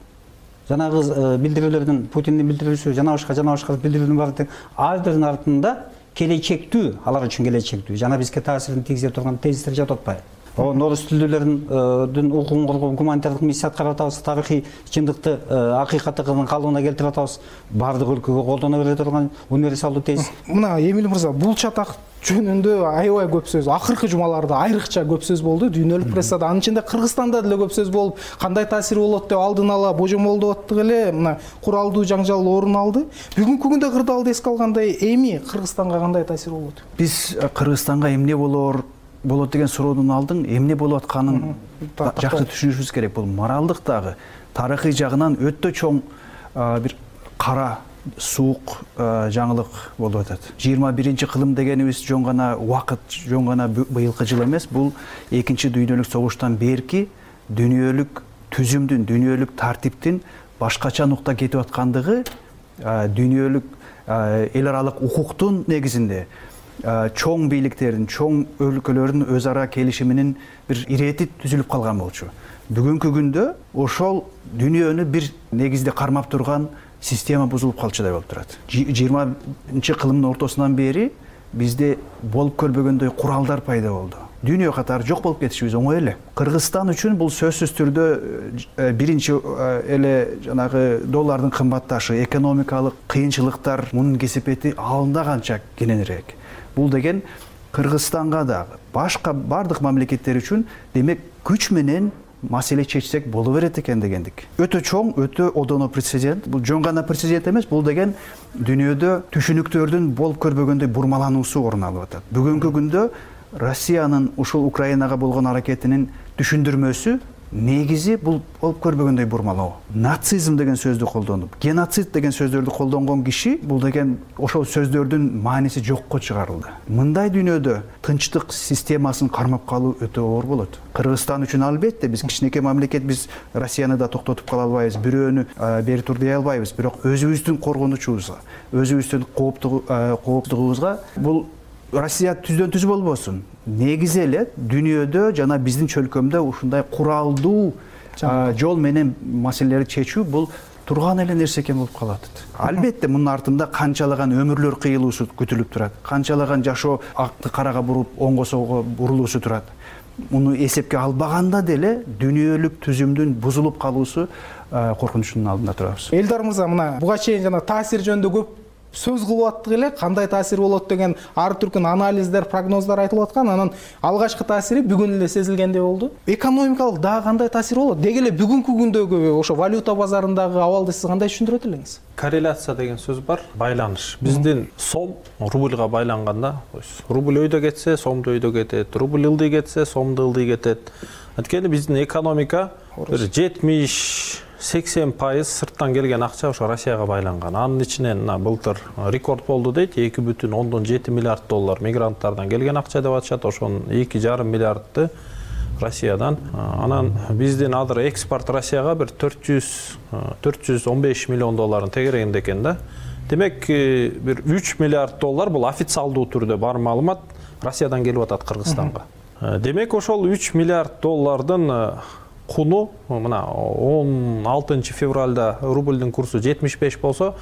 Жанагы билдирүүлөрдүн, Путиндин билдирүүсү, жана башка жана башка билдирүүнүн баары ар биринин артында келечектүү, алар үчүн келечектүү, жана бизге таасирин тийгизе турган тезистер жатып атпайбы? Орус тилдүүлөрдүн укугун коргоо, гуманитардык миссия аткарып атабыз, тарыхый чындыкты, акыйкаттыгын калыбына келтирип атабыз. Бардык өлкөгө колдоно бере турган универсалдуу тез. Мына Эмил мырза, бул чатак жөнүндө аябай көп сөз, акыркы жумаларда айрыкча көп сөз болду, дүйнөлүк прессада, анын ичинде Кыргызстанда деле көп сөз болуп, кандай таасири болот деп алдын ала божомолдоп аттык эле, мына куралдуу жаңжал орун алды. Бүгүнкү күндө кырдаалды эске алгандай, эми Кыргызстанга кандай таасир болот? Биз Кыргызстанга эмне болор болот деген суроодун алдын эмне болуп атканын жакшы түшүнүшүбүз керек. Бул моралдык дагы, тарыхый жагынан өтө чоң бир кара суук жаңылык болуп атат. жыйырма биринчи кылым дегенибиз жөн гана убакыт, жөн гана быйылкы жыл эмес, бул экинчи дүйнөлүк согуштан берки дүйнөлүк түзүмдүн, дүйнөлүк тартиптин башкача нукта кетип аткандыгы, дүйнөлүк эл аралык укуктун негизинде чоң бийликтердин, чоң өлкөлөрдүн өз ара келишиминин бир ирети түзүлүп калган болчу. Бүгүнкү күндө ошол дүйнөнү бир негизде кармап турган система бузулуп калчудай болуп турат. жыйырманчы кылымдын ортосунан бери бизде болуп көрбөгөндөй куралдар пайда болду. Дүйнө катары жок болуп кетишибиз оңой эле. Кыргызстан үчүн бул сөзсүз түрдө биринчи эле жанагы доллардын кымбатташы, экономикалык кыйынчылыктар, мунун кесепети алында канча кененирээк. Бул деген Кыргызстанга дагы, башка бардык мамлекеттер үчүн демек күч менен маселе чечсек боло берет экен дегендик. Өтө чоң, өтө одоно прецедент. Бул жөн гана прецедент эмес, бул деген дүйнөдө түшүнүктөрдүн болуп көрбөгөндөй бурмалануусу орун алып атат. Бүгүнкү күндө Россиянын ушул Украинага болгон аракетинин түшүндүрмөсү негизи бул болуп көрбөгөндөй бурмалоо. Нацизм деген сөздү колдонуп, геноцид деген сөздөрдү колдонгон киши бул деген ошол сөздөрдүн мааниси жокко чыгарылды. Мындай дүйнөдө тынчтык системасын кармап калуу өтө оор болот. Кыргызстан үчүн албетте биз кичинекей мамлекет, биз Россияны да токтотуп кала албайбыз, бирөөнү бери тур дей албайбыз, бирок өзүбүздүн коргонучубузга, өзүбүздүн кооптугубузга бул Россия түздөн түз болбосун. Негизи эле дүйнөдө жана биздин чөлкөмдө ушундай куралдуу жол менен маселелерди чечүү бул турган эле нерсе экен болуп калат. Албетте мунун артында канчалаган өмүрлөр кыйылуусу күтүлүп турат. Канчалаган жашоо акты карага буруп, оңго солго бурулуусу турат. Муну эсепке албаганда деле дүйнөлүк түзүмдүн бузулуп калуусу коркунучунун алдында турабыз. Элдар мырза, мына буга чейин жана таасир жөнүндө көп сөз кылып аттык эле, кандай таасир болот деген ар түркүн анализдер, прогноздар айтылып аткан. Анан алгачкы таасири бүгүн эле сезилгендей болду. Экономикалык дагы кандай таасир болот? Деги эле бүгүнкү күндөгү ошо валюта базарындагы абалды сиз кандай түшүндүрөт элеңиз? Корреляция деген сөз бар, байланыш. Биздин сом рубльга байланганда, рубль өйдө кетсе, сомду өйдө кетет, рубль ылдый кетсе, сомду ылдый кетет. Анткени биздин экономика бир жетимиш сексен пайыз сырттан келген акча ошо Россияга байланган. Анын ичинен былтыр рекорд болду дейт, эки бүтүн ондон жети миллиард доллар мигранттардан келген акча деп атышат. Ошонун эки жарым миллиардты Россиядан. Анан биздин азыр экспорт Россияга бир төрт жүз он беш миллион долларын тегерегинде экен да. Демек бир үч миллиард доллар бул официалдуу түрдө бар маалымат Россиядан келип атат Кыргызстанга. Демек ошол үч миллиард доллардын куну мына он алтынчы февралда рубльдин курсу жетимиш беш болсо,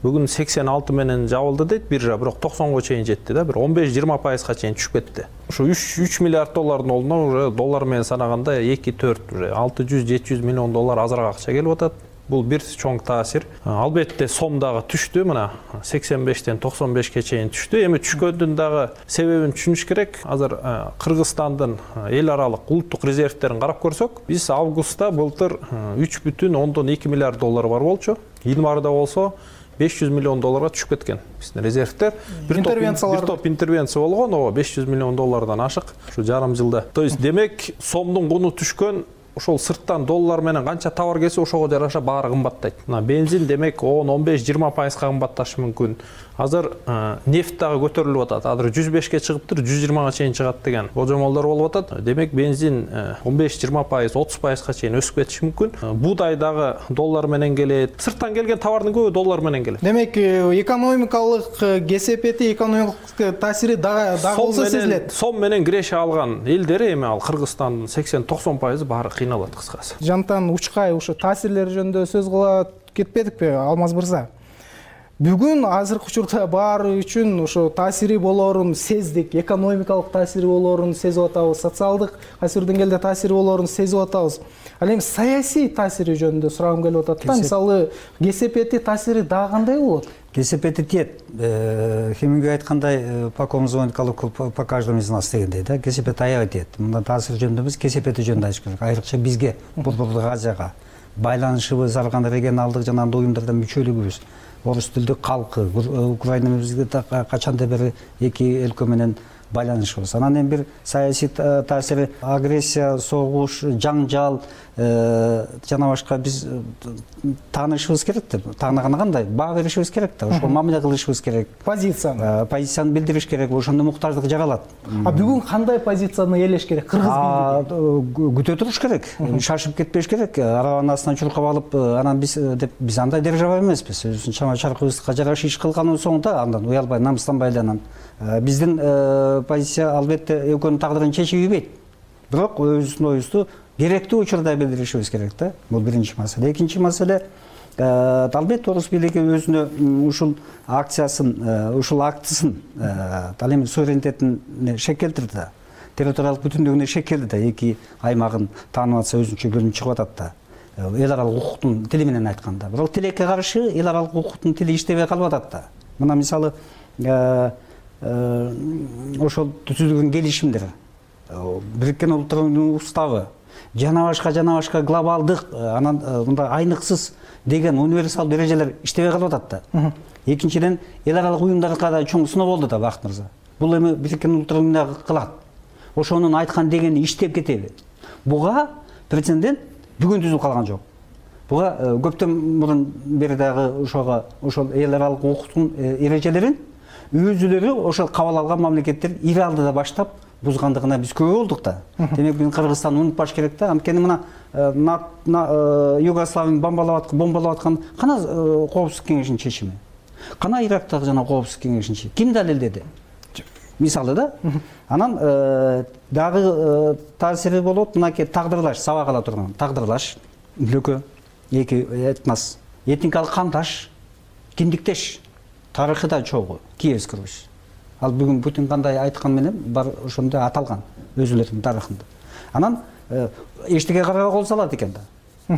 бүгүн сексен алты менен жабылды дейт биржа, бирок токсонго чейин жетти да, бир он беш жыйырма пайызга чейин түшүп кетти. Ушу үч миллиард доллардын ордуна уже доллар менен санаганда эки төрт алты жүз жети жүз миллион доллар азыраак акча келип атат. Бул бир чоң таасир. Албетте сом дагы түштү, мына сексен бештен токсон бешке чейин түштү. Эми түшкөндүн дагы себебин түшүнүш керек. Азыр Кыргызстандын эл аралык улуттук резервтерин карап көрсөк, биз августта былтыр үч бүтүн ондон эки миллиард доллар бар болчу. Январда болсо беш жүз миллион долларга түшүп кеткен биздин резервтер. Бир топ интервенция болгон, ооба беш жүз миллион доллардан ашык ушу жарым жылда. То есть демек сомдун куну түшкөн, ошол сырттан доллар менен канча товар келсе ошого жараша баары кымбаттайт. Мына бензин демек он он беш жыйырма пайызга кымбатташы мүмкүн. Азыр нефт дагы көтөрүлүп атат. Азыр жүз бешке чыгыптыр, жүз жыйырмага чейин чыгат деген божомолдор болуп атат. Демек бензин он беш жыйырма пайыз, отуз пайызга чейин өсүп кетиши мүмкүн. Буудай дагы доллар менен келет. Сырттан келген товардын көбү доллар менен келет. Демек экономикалык кесепети, экономикалык таасири дагы болсо сезилет. Сом менен киреше алган элдер эми ал Кыргызстандын сексен токсон пайызы баары кыйналат кыскасы. Жантан Учкай ушу таасирлер жөнүндө сөз кыла кетпедикпи, Алмаз мырза? Бүгүн азыркы учурда баары үчүн ошо таасири болоорун сездик, экономикалык таасири болоорун сезип атабыз, социалдык кайсы бир деңгээлде таасири болоорун сезип атабыз. Ал эми саясий таасири жөнүндө сурагым келип атат да. Мисалы, кесепети таасири дагы кандай болот? Кесепети тиет. Хемингуэй айткандай, по кому звонит колокол, по каждому из нас дегендей да. Кесепет аябай тиет. Мында таасир жөнүндө эмес, кесепети жөнүндө айтыш керек. Айрыкча бизге, Борбордук Азияга байланышыбыз, ар кандай регионалдык жана уюмдардан мүчөлүгүбүз, орус тилдүү калкы, Украина бизге качандан бери эки өлкө менен байланышыбыз. Анан эми бир саясий таасири, агрессия, согуш, жаңжал жана башка биз таанышыбыз керек да. Таанаганы кандай? Баа беришибиз керек да. Ошол мамиле кылышыбыз керек. Позицияны. Позицияны билдириш керек. Ошондо муктаждык жаралат. А бүгүн кандай позицияны ээлеш керек? Кыргыз бийлиги. Күтө туруш керек. Шашып кетпеш керек. Арабанын астынан чуркап алып, анан биз деп биз андай держава эмеспиз. Өзүбүздүн чама чаркыбызга жараша иш кылганын соңунда андан уялбай, намыстанбай анан биздин позиция албетте экөөнүн тагдырын чечип ийбейт. Бирок өзүбүздүн оюбузду керектүү учурда билдиришибиз керек да. Бул биринчи маселе. Экинчи маселе, албетте орус бийлиги өзүнө ушул акциясын, ушул актысын, ал эми суверенитетин шек келтирди да. Территориялык бүтүндүгүнө шек келди да. Эки аймагын таанып атса өзүнчө бөлүнүп чыгып атат да. Эл аралык укуктун тили менен айтканда. Бирок тилекке каршы эл аралык укуктун тили иштебей калып атат да. Мына мисалы ошол түзүлгөн келишимдер, Бириккен Улуттардын уставы, жана башка жана башка глобалдык, анан мындай айныксыз деген универсал эрежелер иштебей калып атат да. Экинчиден, эл аралык уюмдарга да чоң сыноо болду да, Бакыт мырза. Бул эми Бириккен Улуттар уюмуна кылат. ошонун айткан дегени иштеп кетеби? Буга прецедент бүгүн түзүлүп калган жок. Буга көптөн мурун бери дагы ошого ошол эл аралык укуктун эрежелерин өзүлөрү ошол кабыл алган мамлекеттер ири алдыда баштап бузгандыгына биз күбө болдук да. Демек биз Кыргызстанды унутпаш керек да. Анткени мына Югославияны бомбалап аткан, бомбалап аткан кана Коопсуздук кеңешинин чечими? Кана Ирактагы жана Коопсуздук кеңешинин чечими? Ким далилдеди? Мисалы да. Анан дагы таасири болот, мынакей тагдырлаш, сабак ала турган. Тагдырлаш, өлкө, эки этнос, этникалык кандаш, киндиктеш, тарыхы да чогуу, Киевский Русь. Ал бүгүн Путин кандай айткан менен бар ошондой аталган өзүлөрүнүн тарыхында. Анан эчтеке карабай кол салат экен да.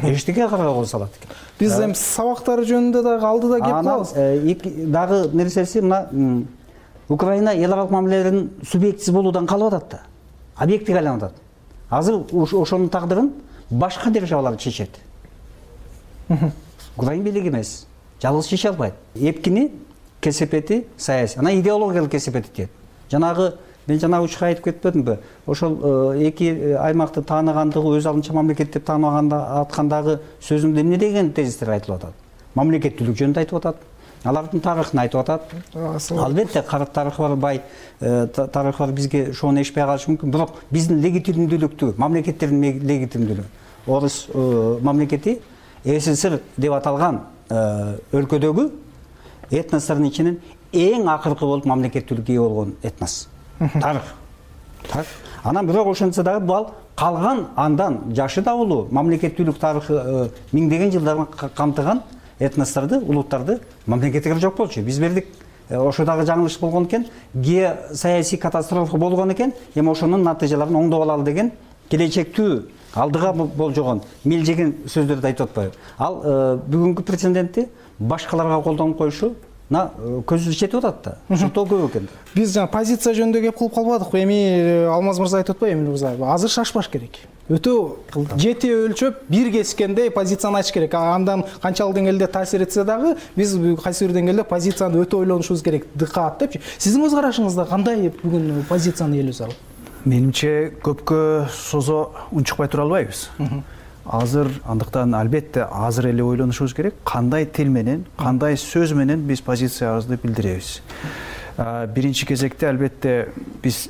Эчтеке карабай кол салат экен. Биз эми сабактар жөнүндө дагы алдыда кеп калабыз. Дагы нерсеси мына Украина эл аралык мамилелердин субъектиси болуудан калып атат да. Объектиге айланып атат. Азыр ошонун тагдырын башка державалар чечет. Украина бийлиги эмес. Жалгыз чече албайт. Эпкини кесепети саясий, анан идеологиялык кесепети тиет. Жанагы мен жана учка айтып кетпедимби? Ошол эки аймакты тааныгандыгы өз алдынча мамлекет деп тааныбаганда аткандагы сөзүмдө эмне деген тезистер айтылып атат? Мамлекеттүүлүк жөнүндө айтып атат. Алардын тарыхын айтып атат. Албетте карт тарыхы бар, бай тарыхы бар, бизге ошону эшпей калышы мүмкүн. Бирок биздин легитимдүүлүктү, мамлекеттердин легитимдүүлүгү. Орус мамлекети СССР деп аталган өлкөдөгү этностордун ичинен эң акыркы болуп мамлекеттүүлүккө ээ болгон этнос. Тарых. Анан бирок ошентсе дагы бул калган андан жашы да улуу мамлекеттүүлүк тарыхы миңдеген жылдарын камтыган этносторду, улуттарды мамлекетке жок болчу. Биз бердик. Ошо дагы жаңылыш болгон экен, геосаясий катастрофа болгон экен, эми ошонун натыйжаларын оңдоп алалы деген келечектүү алдыга болжогон мелжеген сөздөрдү айтып атпайбы? Ал бүгүнкү прецедентти башкаларга колдонуп коюшу көзүбүз жетип атат да. Ошол көп экен. Биз жана позиция жөнүндө кеп кылып калбадыкпы? Эми Алмаз мырза айтып атпайбы, Эмил мырза? Азыр шашпаш керек. Өтө жети өлчөп бир кескендей позицияны ачыш керек. Андан канчалык деңгээлде таасир этсе дагы биз кайсы бир деңгээлде позицияны өтө ойлонушубуз керек. Дыкат депчи. Сиздин көз карашыңызда кандай бүгүн позицияны элүү зарыл? Менимче көпкө созо унчукпай тура албайбыз. Азыр андыктан албетте азыр эле ойлонушубуз керек, кандай тил менен, кандай сөз менен биз позициябызды билдиребиз. Биринчи кезекте албетте биз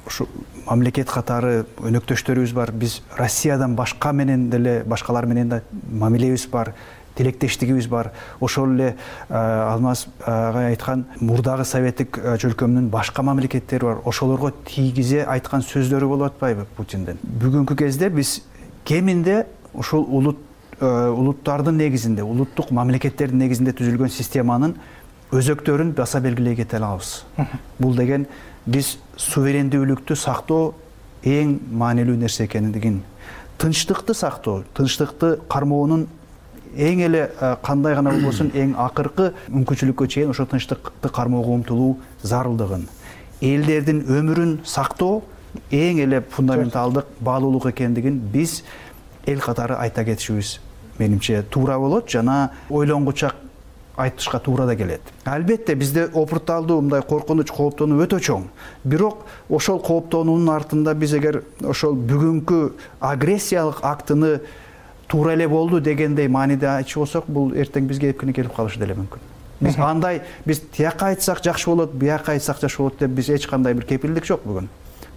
ушу мамлекет катары өнөктөштөрүбүз бар. Биз Россиядан башка менен деле, башкалар менен да мамилебиз бар, тилектештигибиз бар. Ошол эле Алмаз агай айткан мурдагы советтик чөлкөмдүн башка мамлекеттери бар. Ошолорго тийгизе айткан сөздөрү болуп атпайбы Путиндин? Бүгүнкү кезде биз кеминде ушул улут улуттардын негизинде, улуттук мамлекеттердин негизинде түзүлгөн системанын өзөктөрүн баса белгилей кете алабыз. Бул деген биз суверендүүлүктү сактоо эң маанилүү нерсе экендигин, тынчтыкты сактоо, тынчтыкты кармоонун эң эле кандай гана болбосун эң акыркы мүмкүнчүлүккө чейин ошо тынчтыкты кармоого умтулуу зарылдыгын, элдердин өмүрүн сактоо эң эле фундаменталдык баалуулук экендигин биз эл катары айта кетишибиз менимче туура болот жана ойлонгучак айтышка туура да келет. Албетте бизде опурталдуу мындай коркунуч, кооптонуу өтө чоң. Бирок ошол кооптонуунун артында биз эгер ошол бүгүнкү агрессиялык актыны туура эле болду дегендей мааниде айтчу болсок, бул эртең бизге эпкине келип калышы деле мүмкүн. Биз андай биз тияка айтсак жакшы болот, бияка айтсак жакшы болот деп биз эч кандай бир кепилдик жок бүгүн.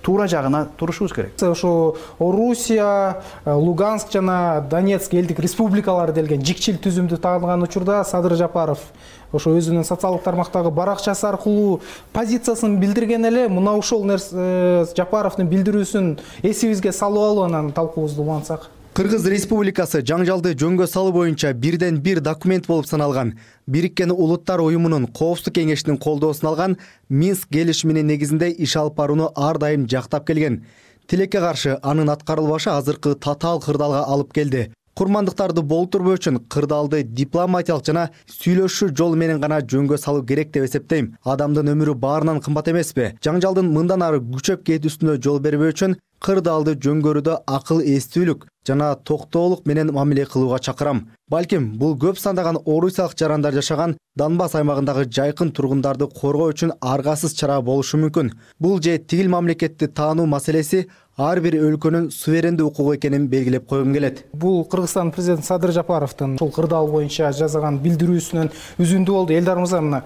Туура жагына турушубуз керек. Ошо Орусия, Луганск жана Донецк элдик республикалары делген жикчил түзүмдү тааныган учурда Садыр Жапаров ошо өзүнүн социалдык тармактагы баракчасы аркылуу позициясын билдирген эле. Мына ушул нерсе Жапаровдун билдирүүсүн эсибизге салып алып анан талкуубузду улантсак. Кыргыз Республикасы жаңжалды жөнгө салуу боюнча бирден бир документ болуп саналган. Бириккен Улуттар уюмунун Коопсуздук кеңешинин колдоосун алган Минск келишиминин негизинде иш алып барууну ар дайым жактап келген. Тилекке каршы анын аткарылбашы азыркы татаал кырдаалга алып келди. курмандыктарды болтурбоо үчүн кырдаалды дипломатиялык жана сүйлөшүү жолу менен гана жөнгө салуу керек деп эсептейм. Адамдын өмүрү баарынан кымбат эмеспи? Жаңжалдын мындан ары күчөп кетүүсүнө жол бербөө үчүн кырдаалды жөнгөрүүдө акыл эстүүлүк жана токтоолук менен мамиле кылууга чакырам. Балким бул көп сандаган орусиялык жарандар жашаган Донбасс аймагындагы жайкын тургундарды коргоо үчүн аргасыз чара болушу мүмкүн. Бул же тигил мамлекетти таануу маселеси ар бир өлкөнүн суверендүү укугу экенин белгилеп койгум келет. Бул Кыргызстан президенти Садыр Жапаровдун ушул кырдаал боюнча жасаган билдирүүсүнөн үзүндүү болду. Элдар мырза, мына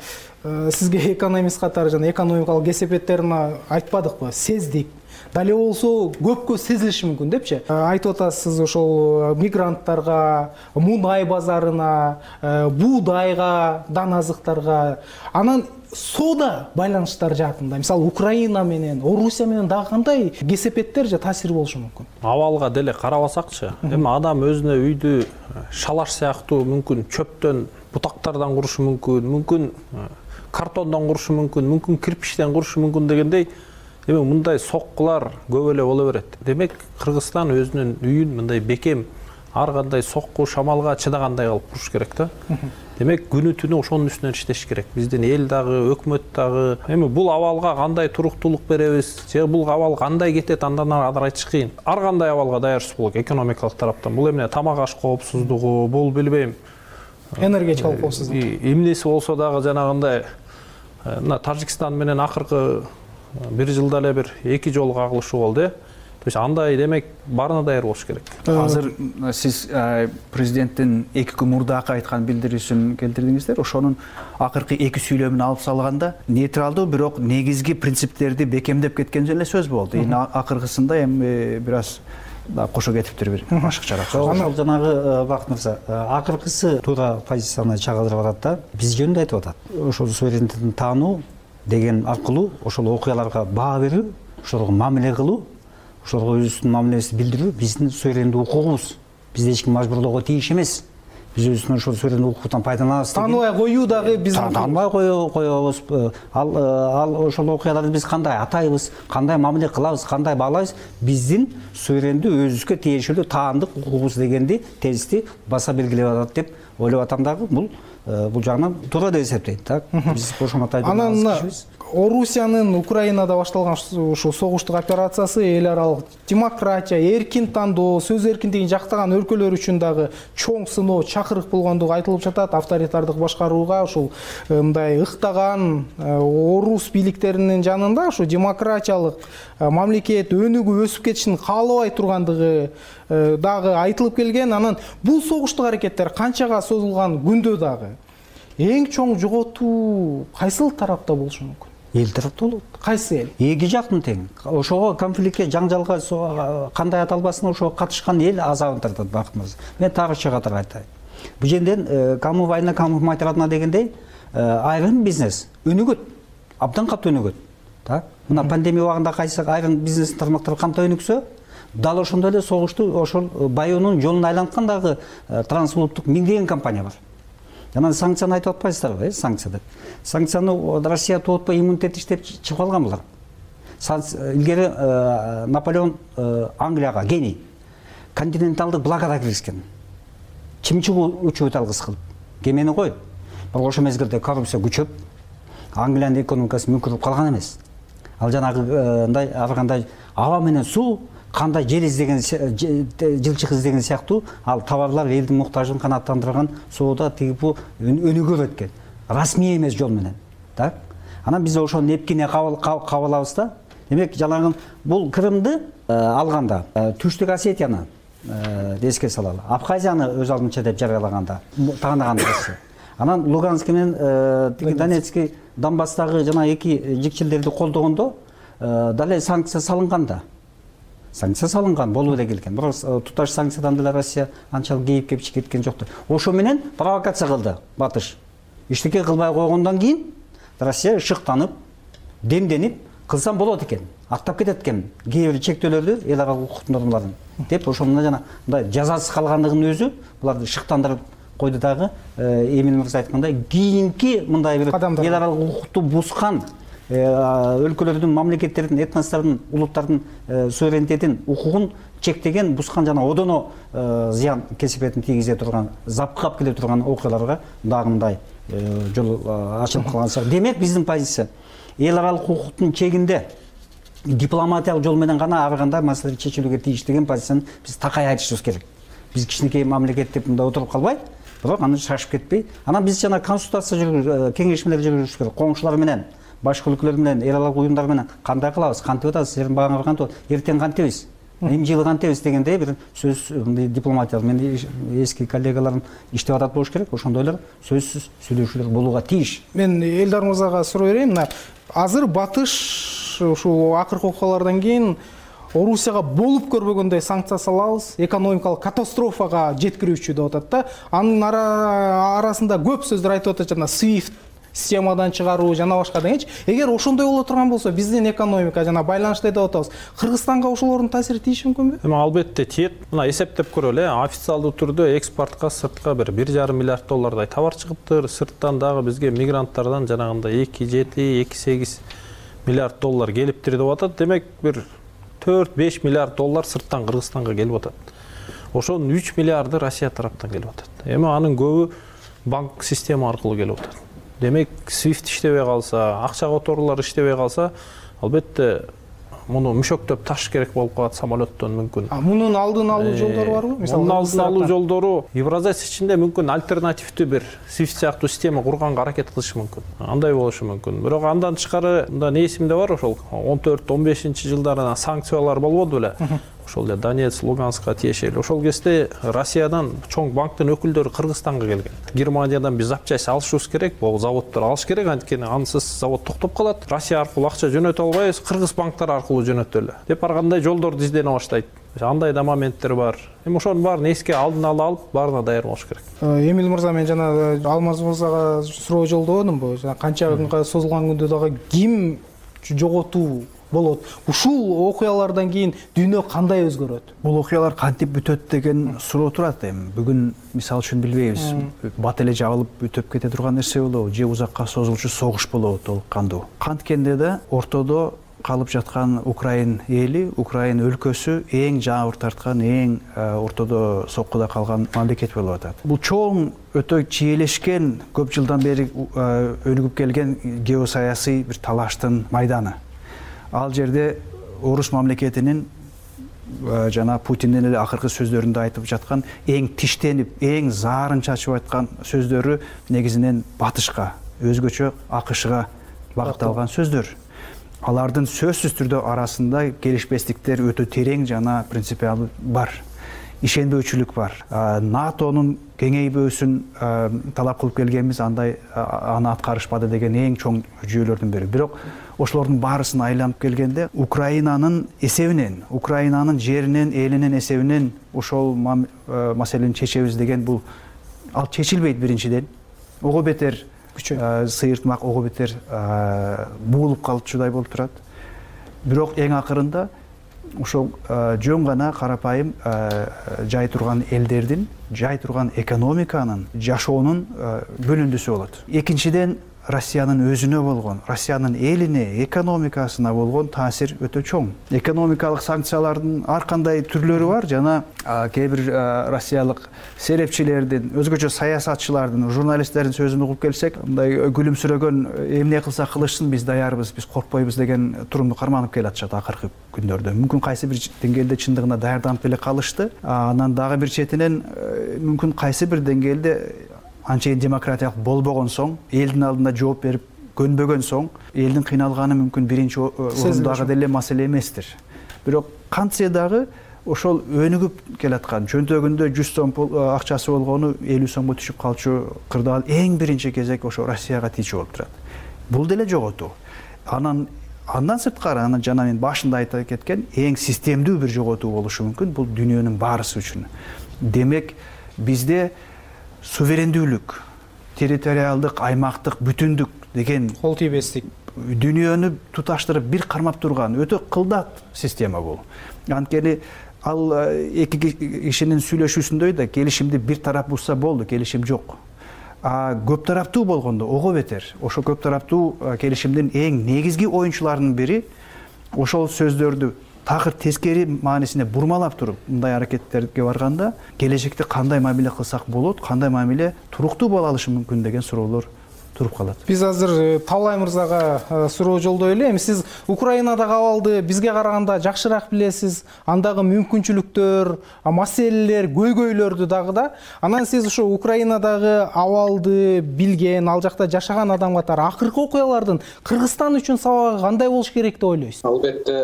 сизге экономист катары жана экономикалык кесепеттерин айтпадыкпы? Сездик. Дале болсо көпкө сезилиши мүмкүн депчи. Айтып атасыз ошол мигранттарга, мунай базарына, буудайга, дан азыктарга, анан соода байланыштар жаатында, мисалы Украина менен, Орусия менен дагы кандай кесепеттер же таасир болушу мүмкүн? Абалга деле карабасакчы, эми адам өзүнө үйдү шалаш сыяктуу мүмкүн чөптөн, бутактардан курушу мүмкүн, мүмкүн картондон курушу мүмкүн, мүмкүн кирпичтен курушу мүмкүн дегендей, эми мындай соккулар көп эле боло берет. Демек, Кыргызстан өзүнүн үйүн мындай бекем, ар кандай сокку, шамалга чыдагандай кылып куруш керек да. Демек, күнү түнү ошонун үстүнөн иштеш керек. Биздин эл дагы, өкмөт дагы. Эми бул абалга кандай туруктуулук беребиз, же бул абал кандай кетет, андан ары айтыш кыйын. Ар кандай абалга даярсыз болот экономикалык тараптан. Бул эмне тамак аш коопсуздугу, бул билбейм. Энергетикалык коопсуздук. Эмнеси болсо дагы жанагындай мына Тажикстан менен акыркы бир жылда эле бир эки жол кагылышуу болду, э. То есть андай демек баарына даяр болуш керек. Азыр сиз президенттин эки күн мурдакы айткан билдирүүсүн келтирдиңиздер. Ошонун акыркы эки сүйлөмүн алып салганда нейтралдуу, бирок негизги принциптерди бекемдеп кеткен эле сөз болду. Эми акыркысында эми бир аз кошо кетиптир бир ашыкчараак. Ошол жанагы Бакыт мырза, акыркысы туура позицияны чагылдырып атат да. Биз жөнүндө айтып атат. Ошол суверенитетин таануу деген аркылуу ошол окуяларга баа берүү, ошолорго мамиле кылуу, ошолорго өзүбүздүн мамилебизди билдирүү биздин суверендүү укугубуз. Бизди эч ким мажбурлоого тийиш эмес. Биз өзүбүздүн ошол суверендүү укуктан пайдаланабыз. Тааныбай коюу дагы биздин тааныбай коебуз. Ал ал ошол окуяларды биз кандай атайбыз, кандай мамиле кылабыз, кандай баалайбыз, биздин суверендүү өзүбүзгө тиешелүү таандык укугубуз дегенди тезисти баса белгилеп атат деп ойлоп атам дагы. Бул бул жагынан туура деп эсептейт, так? Биз ошону анан Орусиянын Украинада башталган ушул согуштук операциясы эл аралык демократия, эркин тандоо, сөз эркиндигин жактаган өлкөлөр үчүн дагы чоң сыноо, чакырык болгондугу айтылып жатат. Авторитардык башкарууга ушул мындай ыктаган орус бийликтеринин жанында ушу демократиялык мамлекет өнүгүп өсүп кетишин каалабай тургандыгы дагы айтылып келген. Анан бул согуштук аракеттер канчага созулган күндө дагы эң чоң жоготуу кайсыл тарапта болушу мүмкүн? Эл тарапта болот. Кайсы эл? Эки жактын тең. Ошого конфликтке, жаңжалга кандай аталбасын ошого катышкан эл азабын тартат, Бакыт мырза. Мен так ачык катары айтайын. Бул жерден кому война, кому мать родна дегендей айрым бизнес өнүгөт, абдан катуу өнүгөт. Так? Мына пандемия убагында кайсы айрым бизнес тармактар кандай өнүксө, дал ошондой эле согушту ошол баюунун жолун айланткан дагы трансулуттук миңдеген компания бар. Анан санкцияны айтып атпайсыздарбы, э, санкция деп. Санкцияны Россия тоотпой иммунитет иштеп чыгып алган булар. Илгери Наполеон Англияга, гений, континенталдык блокада киргизген. Чымчыгуу учебут алгыс кылып. Кемени кой. Бирок ошол мезгилде коррупция күчөп, Англиянын экономикасы мүмкүрүп калган эмес. Ал жанагындай ар кандай аба менен суу, кандай жер издеген, жылчык издеген сыяктуу ал товарлар элдин муктажын канааттандырган соода тигип өнүгүп өткөн. Расмий эмес жол менен. Так? Анан биз ошону эпкине кабылабыз да. Демек, жалаңын бул Крымды алганда, Түштүк Осетияны эске салалы. Абхазияны өз алдынча деп жарыялаганда, тааныган Россия. Анан Луганск менен Донецкий, Донбасстагы жана эки жикчилдерди колдогондо дале санкция салынганда. Санкция салынган, болуп эле келген. Бирок туташ санкциядан деле Россия анчалык кейип кеп кеткен жокто. Ошо менен провокация кылды Батыш. Иштеке кылбай койгондон кийин Россия шыктанып, демденип, кылсам болот экен, актап кетет экен кээ бир чектөөлөрдү, эл аралык укук нормаларын деп ошондо жана мындай жазасыз калгандыгын өзү буларды шыктандырып койду дагы. Эмин мырза айткандай, кийинки мындай бир эл аралык укукту бускан өлкөлөрдүн, мамлекеттердин, этностордун, улуттардын суверенитетин, укугун чектеген, бускан жана одоно зыян кесипетин тийгизе турган, запкап келе турган окуяларга дагы мындай жол ачылып калган сыяктуу. Демек биздин позиция эл аралык укуктун чегинде дипломатиялык жол менен гана ар кандай маселе чечилүүгө тийиш деген позицияны биз такай айтышыбыз керек. Биз кичинекей мамлекет деп мында отуруп калбай, бирок аны шашып кетпей, анан биз жана консультация жүргүзүп, кеңешмелер жүргүзүш керек. Коңшулар менен, башка өлкөлөр менен, эл аралык уюмдар менен кандай кылабыз, кантип атабыз, силердин багыңар кантип атат, эртең кантебиз, эми жылы кантебиз дегендей бир сөз дипломатиялык. Менин эски коллегаларым иштеп атат болуш керек. Ошондойлор сөзсүз сүйлөшүүлөр болууга тийиш. Мен Элдар мырзага суроо берейин. Мына азыр батыш ушул акыркы окуялардан кийин Орусияга болуп көрбөгөндөй санкция салабыз, экономикалык катастрофага жеткирүүчү деп атат да. Анын арасында көп сөздөр айтып атат, жана свифт системадан чыгаруу жана башка дегенчи. Эгер ошондой боло турган болсо, биздин экономика жана байланышты деп атабыз. Кыргызстанга ошолордун таасири тийиши мүмкүнбү? Эми албетте тиет. Мына эсептеп көрөлү, официалдуу түрдө экспортко сыртка бир бир жарым миллиард доллардай товар чыгыптыр. Сырттан дагы бизге мигранттардан жанагындай эки жети эки сегиз миллиард доллар келиптир деп атат. Демек бир төрт беш миллиард доллар сырттан Кыргызстанга келип атат. Ошонун үч миллиарды Россия тараптан келип атат. Эми анын көбү банк система аркылуу келип атат. Демек, свифт иштебей калса, акча которуулар иштебей калса, албетте муну мүшөктөп таш керек болуп калат самолеттон мүмкүн. А мунун алдын алуу жолдору барбы? Мисалы, мунун алдын алуу жолдору Евразес ичинде мүмкүн альтернативдүү бир свифт сыяктуу система курганга аракет кылыш мүмкүн. Андай болушу мүмкүн. Бирок андан тышкары мында не эсимде бар, ошол он төрт он бешинчи жылдары санкциялар болбоду беле? Ошол эле Донецк, Луганска тиешелүү. Ошол кезде Россиядан чоң банктын өкүлдөрү Кыргызстанга келген. Германиядан биз запчасть алышыбыз керек, бул заводдор алыш керек, анткени ансыз завод токтоп калат. Россия аркылуу акча жөнөтө албайбыз, кыргыз банктар аркылуу жөнөтөлү деп ар кандай жолдорду издене баштайт. Андай да моменттер бар. Эми ошонун баарын эске алдын ала алып, баарына даяр болуш керек. Эмил мырза, мен жана Алмаз мырзага суроо жолдободумбу? Жана канча күнгө созулган күндө дагы ким жоготуу болот? Ушул окуялардан кийин дүйнө кандай өзгөрөт? Бул окуялар кантип бүтөт деген суроо турат. Эми бүгүн мисалы үчүн билбейбиз. Бат эле жабылып бүтөп кете турган нерсе болобу, же узакка созулчу согуш болобу толук кандуу. Канткенде да ортодо калып жаткан Украин эли, Украин өлкөсү эң жабыр тарткан, эң ортодо соккуда калган мамлекет болуп атат. Бул чоң, өтө чиелешкен, көп жылдан бери өнүгүп келген геосаясий бир талаштын майданы. Ал жерде орус мамлекетинин жана Путиндин эле акыркы сөздөрүндө айтып жаткан эң тиштенип, эң заарын чачып айткан сөздөрү негизинен батышка, өзгөчө АКШга багытталган сөздөр. Алардын сөзсүз түрдө арасында келишпестиктер өтө терең жана принципиалдуу бар. Ишенбөөчүлүк бар. НАТОнун кеңейбөөсүн талап кылып келгенбиз, андай аны аткарышпады деген эң чоң жүйөлөрдүн бири. Бирок ошолордун баарысын айланып келгенде Украинанын эсебинен, Украинанын жеринен, элинин эсебинен ошол маселени чечебиз деген бул ал чечилбейт биринчиден. Ого бетер сыйыртмак, ого бетер буулуп калчудай болуп турат. Бирок эң акырында ошол жөн гана карапайым жай турган элдердин, жай турган экономиканын, жашоонун бөлүндүсү болот. Экинчиден, Россиянын өзүнө болгон, Россиянын элине, экономикасына болгон таасир өтө чоң. Экономикалык санкциялардын ар кандай түрлөрү бар, жана кээ бир россиялык серепчилердин, өзгөчө саясатчылардын, журналисттердин сөзүн угуп келсек, мындай күлүмсүрөгөн, эмне кылса кылышсын, биз даярбыз, биз коркпойбуз деген турумду карманып келатышат акыркы күндөрдө. Мүмкүн кайсы бир деңгээлде чындыгына даярданып эле калышты. Анан дагы бир четинен мүмкүн кайсы бир деңгээлде анчейин демократиялык болбогон соң, элдин алдында жооп берип көнбөгөн соң, элдин кыйналганы мүмкүн биринчи орундагы деле маселе эместир. Бирок кантсе дагы ошол өнүгүп келаткан, чөнтөгүндө жүз сом акчасы болгону элүү сомго түшүп калчу кырдаал эң биринчи кезек ошо Россияга тийчү болуп турат. Бул деле жоготуу. Анан андан сырткары, анан жана мен башында айтып кеткен эң системдүү бир жоготуу болушу мүмкүн. Бул дүйнөнүн баарысы үчүн. Демек, бизде суверендүүлүк, территориалдык, аймактык бүтүндүк деген кол тийбестик, дүйнөнү туташтырып бир кармап турган өтө кылдат система бул. Анткени ал эки кишинин сүйлөшүүсүндөй да келишимди бир тарап бузса болду, келишим жок. а көп тараптуу болгондо ого бетер. Ошо көп тараптуу келишимдин эң негизги оюнчуларынын бири ошол сөздөрдү такыр тескери маанисине бурмалап туруп мындай аракеттерге барганда келечекте кандай мамиле кылсак болот, кандай мамиле туруктуу боло алышы мүмкүн деген суроолор туруп калат. Биз азыр Талай мырзага суроо жолдой эле. Эми сиз Украинадагы абалды бизге караганда жакшыраак билесиз. Андагы мүмкүнчүлүктөр, маселелер, көйгөйлөрдү дагы да. Анан сиз ошо Украинадагы абалды билген, ал жакта жашаган адам катары акыркы окуялардын Кыргызстан үчүн сабагы кандай болуш керек деп ойлойсуз? Албетте,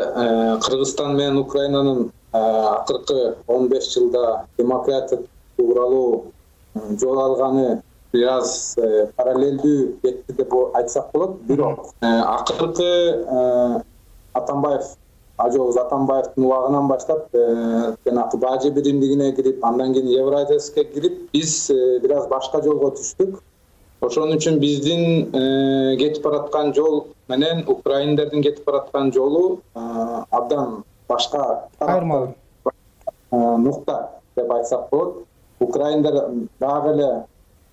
Кыргызстан менен Украинанын акыркы он беш жылда демократиялык тууралуу жол алганы бир аз параллелдүү кетти деп айтсак болот. Бирок акыркы Атамбаев, Ажообуз Атамбаевдин убагынан баштап жанагы бажы биримдигине кирип, андан кийин Евразияске кирип, биз бир аз башка жолго түштүк. Ошон үчүн биздин кетип бараткан жол менен украиндердин кетип бараткан жолу абдан башка айырмалуу нукта деп айтсак болот. Украиндер дагы эле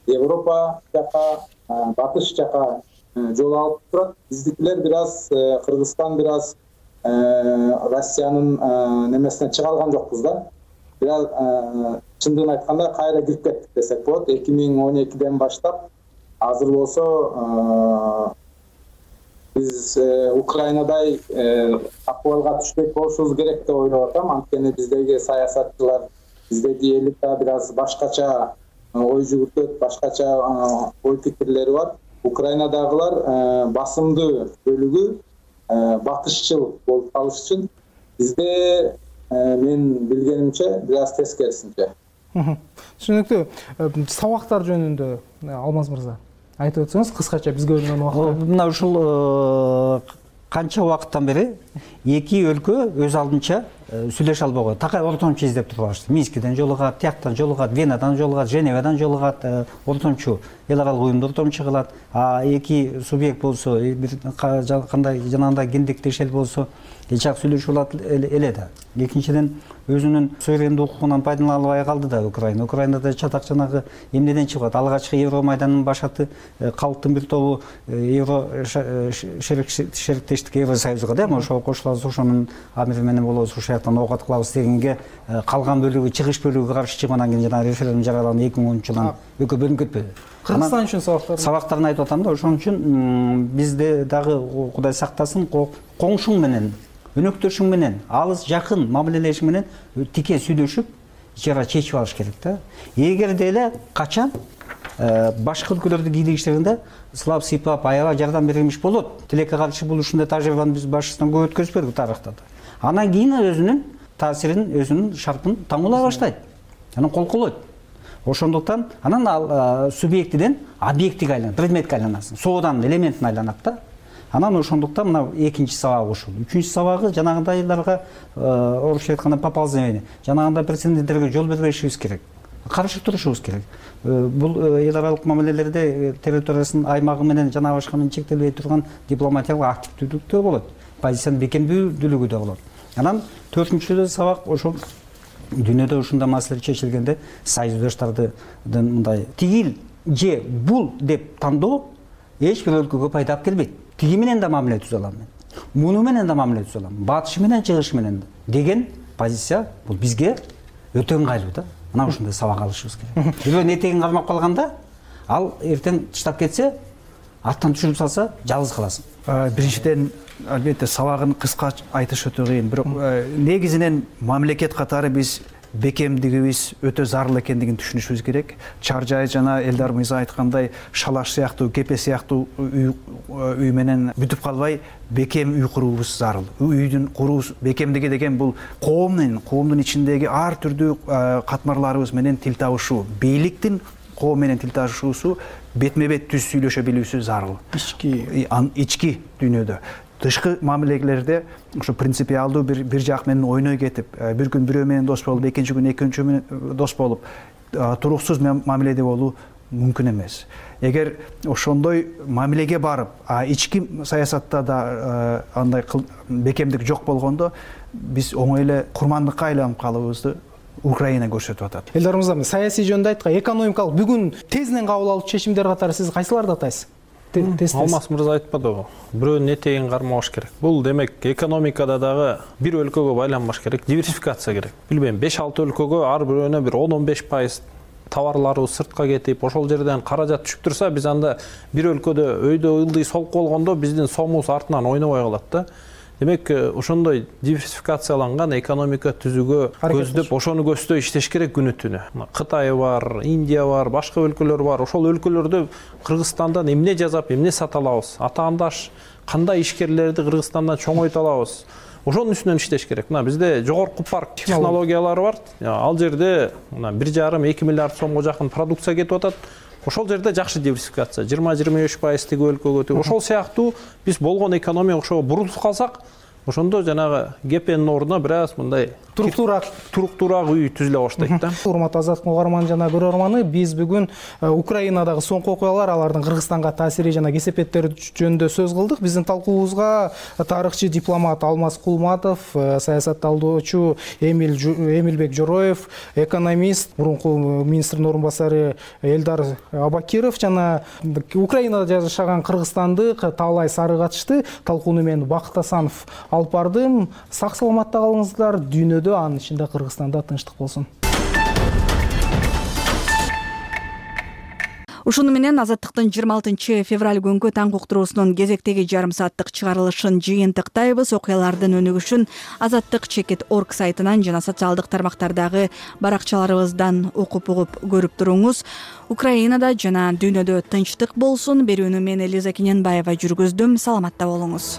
Европа жака, батыш жака жол алып турат. Биздикилер бир аз Кыргызстан бир аз Россиянын немесине чыга алган жокпуз да. Бир аз чындыгын айтканда кайра кирип кеттик десек болот. эки миң он экиден баштап азыр болсо биз Украинадай акыбалга түшпөк болушубуз керек деп ойлоп атам. Анткени биздеги саясатчылар, биздеги элита бир аз башкача ой жүгүртөт, башкача ой пикирлери бар. Украинадагылар басымдуу бөлүгү батышчыл болуп калыш үчүн, бизде мен билгенимче бир аз тескерисинче. Түшүнүктүү. Сабактар жөнүндө Алмаз мырза айтып өтсөңүз кыскача, бизге бөлүнгөн убакыт. Мына ушул канча убакыттан бери эки өлкө өз алдынча сүйлөшө албаган. Такай ортомчу издеп турбашты. Минскиден жолугат, тияктан жолугат, Венадан жолугат, Женевадан жолугат, ортомчу эл аралык уюмда ортомчу кылат. А эки субъект болсо, бир кандай жанагындай кендиктеш эл болсо, жак сүйлөшүп алат эле да. Экинчиден, өзүнүн суверендик укугунан пайдалана албай калды да Украина. Украинада чатак жанагы эмнеден чыгат? Алгачкы Евромайдандын башаты калктын бир тобу Евро шериктештик Евросоюзга да, ошого кошулабыз, ошонун амири менен болобуз, ошол жактан оокат кылабыз дегенге калган бөлүгү, чыгыш бөлүгү каршы чыгып, анан кийин жанагы референдум жарыяланган эки миң онунчу жылдан экөө бөлүнүп кетпеди. Кыргызстан үчүн сабактар. Сабактарын айтып атам да, ошон үчүн бизде дагы Кудай сактасын, коңшуң менен, өнөктөшүң менен, алыс жакын мамилелешиң менен тике сүйлөшүп, ичара чечип алыш керек да. Эгерде эле качан башка өлкөлөрдү кийлигиштеринде сылап сыйпап аябай жардам берилмиш болот. Тилекке каршы бул ушундай тажрыйбаны биз башынан көп өткөзбөдүк тарыхта да. Анан кийин өзүнүн таасирин, өзүнүн шарпын таңуулай баштайт. Анан кол колойт. Ошондуктан анан ал субъектиден объектиге айланат, предметке айланасын, сооданын элементине айланат да. Анан ошондуктан мына экинчи сабагы ушул. Үчүнчү сабагы жанагындайларга орусча айтканда поползновение, жанагындай прецеденттерге жол бербешибиз керек. Каршы турушубуз керек. Бул эл аралык мамилелерде территориясынын аймагы менен жана башканын чектелбей турган дипломатиялык активдүүлүктөр болот. Позициянын бекемдүүлүгү да болот. Анан төртүнчү сабак ошол дүйнөдө ушундай маселе чечилгенде союздаштардын мындай тигил же бул деп тандоо эч бир өлкөгө пайда алып келбейт. Тиги менен да мамиле түзө алам мен. Муну менен да мамиле түзө алам. Батышы менен чыгышы менен деген позиция бул бизге өтө ыңгайлуу да. Мына ушундай сабак алышыбыз керек. Бирөөнүн этегин кармап калганда, ал эртең тыштап кетсе, аттан түшүрүп салса, жалгыз каласың. Биринчиден, албетте сабагын кыска айтыш өтө кыйын. Бирок негизинен мамлекет катары биз бекемдигибиз өтө зарыл экендигин түшүнүшүбүз керек. Чаржай жана Элдар мырза айткандай шалаш сыяктуу, кепе сыяктуу үй менен бүтүп калбай, бекем үй куруубуз зарыл. Үйдүн куруу бекемдиги деген бул коомдун, коомдун ичиндеги ар түрдүү катмарларыбыз менен тил табышуу, бийликтин коом менен тил табышуусу бетме-бет түз сүйлөшө билүүсү зарыл. Ички ички дүйнөдө. Тышкы мамилелерде ошо принципиалдуу бир бир жак менен ойной кетип, бир күн бирөө менен дос болуп, экинчи күн экинчи менен дос болуп, туруксуз мамиледе болуу мүмкүн эмес. Эгер ошондой мамилеге барып, а ички саясатта да андай бекемдик жок болгондо, биз оңой эле курмандыкка айланып калыбызды Украина көрсөтүп атат. Элдар мырза, саясий жөнүндө айткан, экономикалык бүгүн тезинен кабыл алуу чечимдер катары сиз кайсыларды атайсыз? Алмаз мырза айтпадыбы, бирөөнүн этегин кармабаш керек. Бул демек экономикада дагы бир өлкөгө байланбаш керек, диверсификация керек. Билбейм, беш алты өлкөгө ар бирөөнө бир он он беш пайыз товарларыбыз сыртка кетип, ошол жерден каражат түшүп турса, биз анда бир өлкөдө өйдө ылдый солуп болгондо биздин сомубуз артынан ойнобой калат да. Демек, ошондой диверсификацияланган экономика түзүүгө көздөп, ошону көздөй иштеш керек күнү түнү. Кытай бар, Индия бар, башка өлкөлөр бар. Ошол өлкөлөрдө Кыргызстандан эмне жасап, эмне сата алабыз? Атаандаш кандай ишкерлерди Кыргызстандан чоңойто алабыз? Ошонун үстүнөн иштеш керек. Мына бизде жогорку парк технологиялары бар. Ал жерде мына бир жарым эки миллиард сомго жакын продукция кетип атат. Ошол жерде жакшы диверсификация, жыйырма жыйырма беш пайыз тиги өлкөгө. Ошол сыяктуу биз болгон экономия ошого бурулуп калсак, ошондо жанагы ГПнин ордуна бир аз мындай туруктуураак туруктуураак үй түзүлө баштайт да. Урматтуу Азаттык угарман жана көрөрманы, биз бүгүн Украинадагы соңку окуялар, алардын Кыргызстанга таасири жана кесепеттери жөнүндө сөз кылдык. Биздин талкуубузга тарыхчы дипломат Алмаз Кулматов, саясатталдоочу Эмилбек Жороев, экономист, мурунку министрдин орун басары Элдар Абакиров жана Украинада жашаган кыргызстандык Таалай Сары катышты. Талкууну мен Бакыт Асанов алып бардым. Сак саламатта калыңыздар. Дүйнөдө, анын ичинде Кыргызстанда тынчтык болсун. Ушуну менен Азаттыктын жыйырма алтынчы февраль күнгү таң уктуруусунун кезектеги жарым сааттык чыгарылышын жыйынтыктайбыз. Окуялардын өнүгүшүн Азаттык чекит точка орг сайтынан жана социалдык тармактардагы баракчаларыбыздан окуп угуп көрүп туруңуз. Украинада жана дүйнөдө тынчтык болсун. Берүүнү мен Элиза Кененбаева жүргүздүм. Саламатта болуңуз.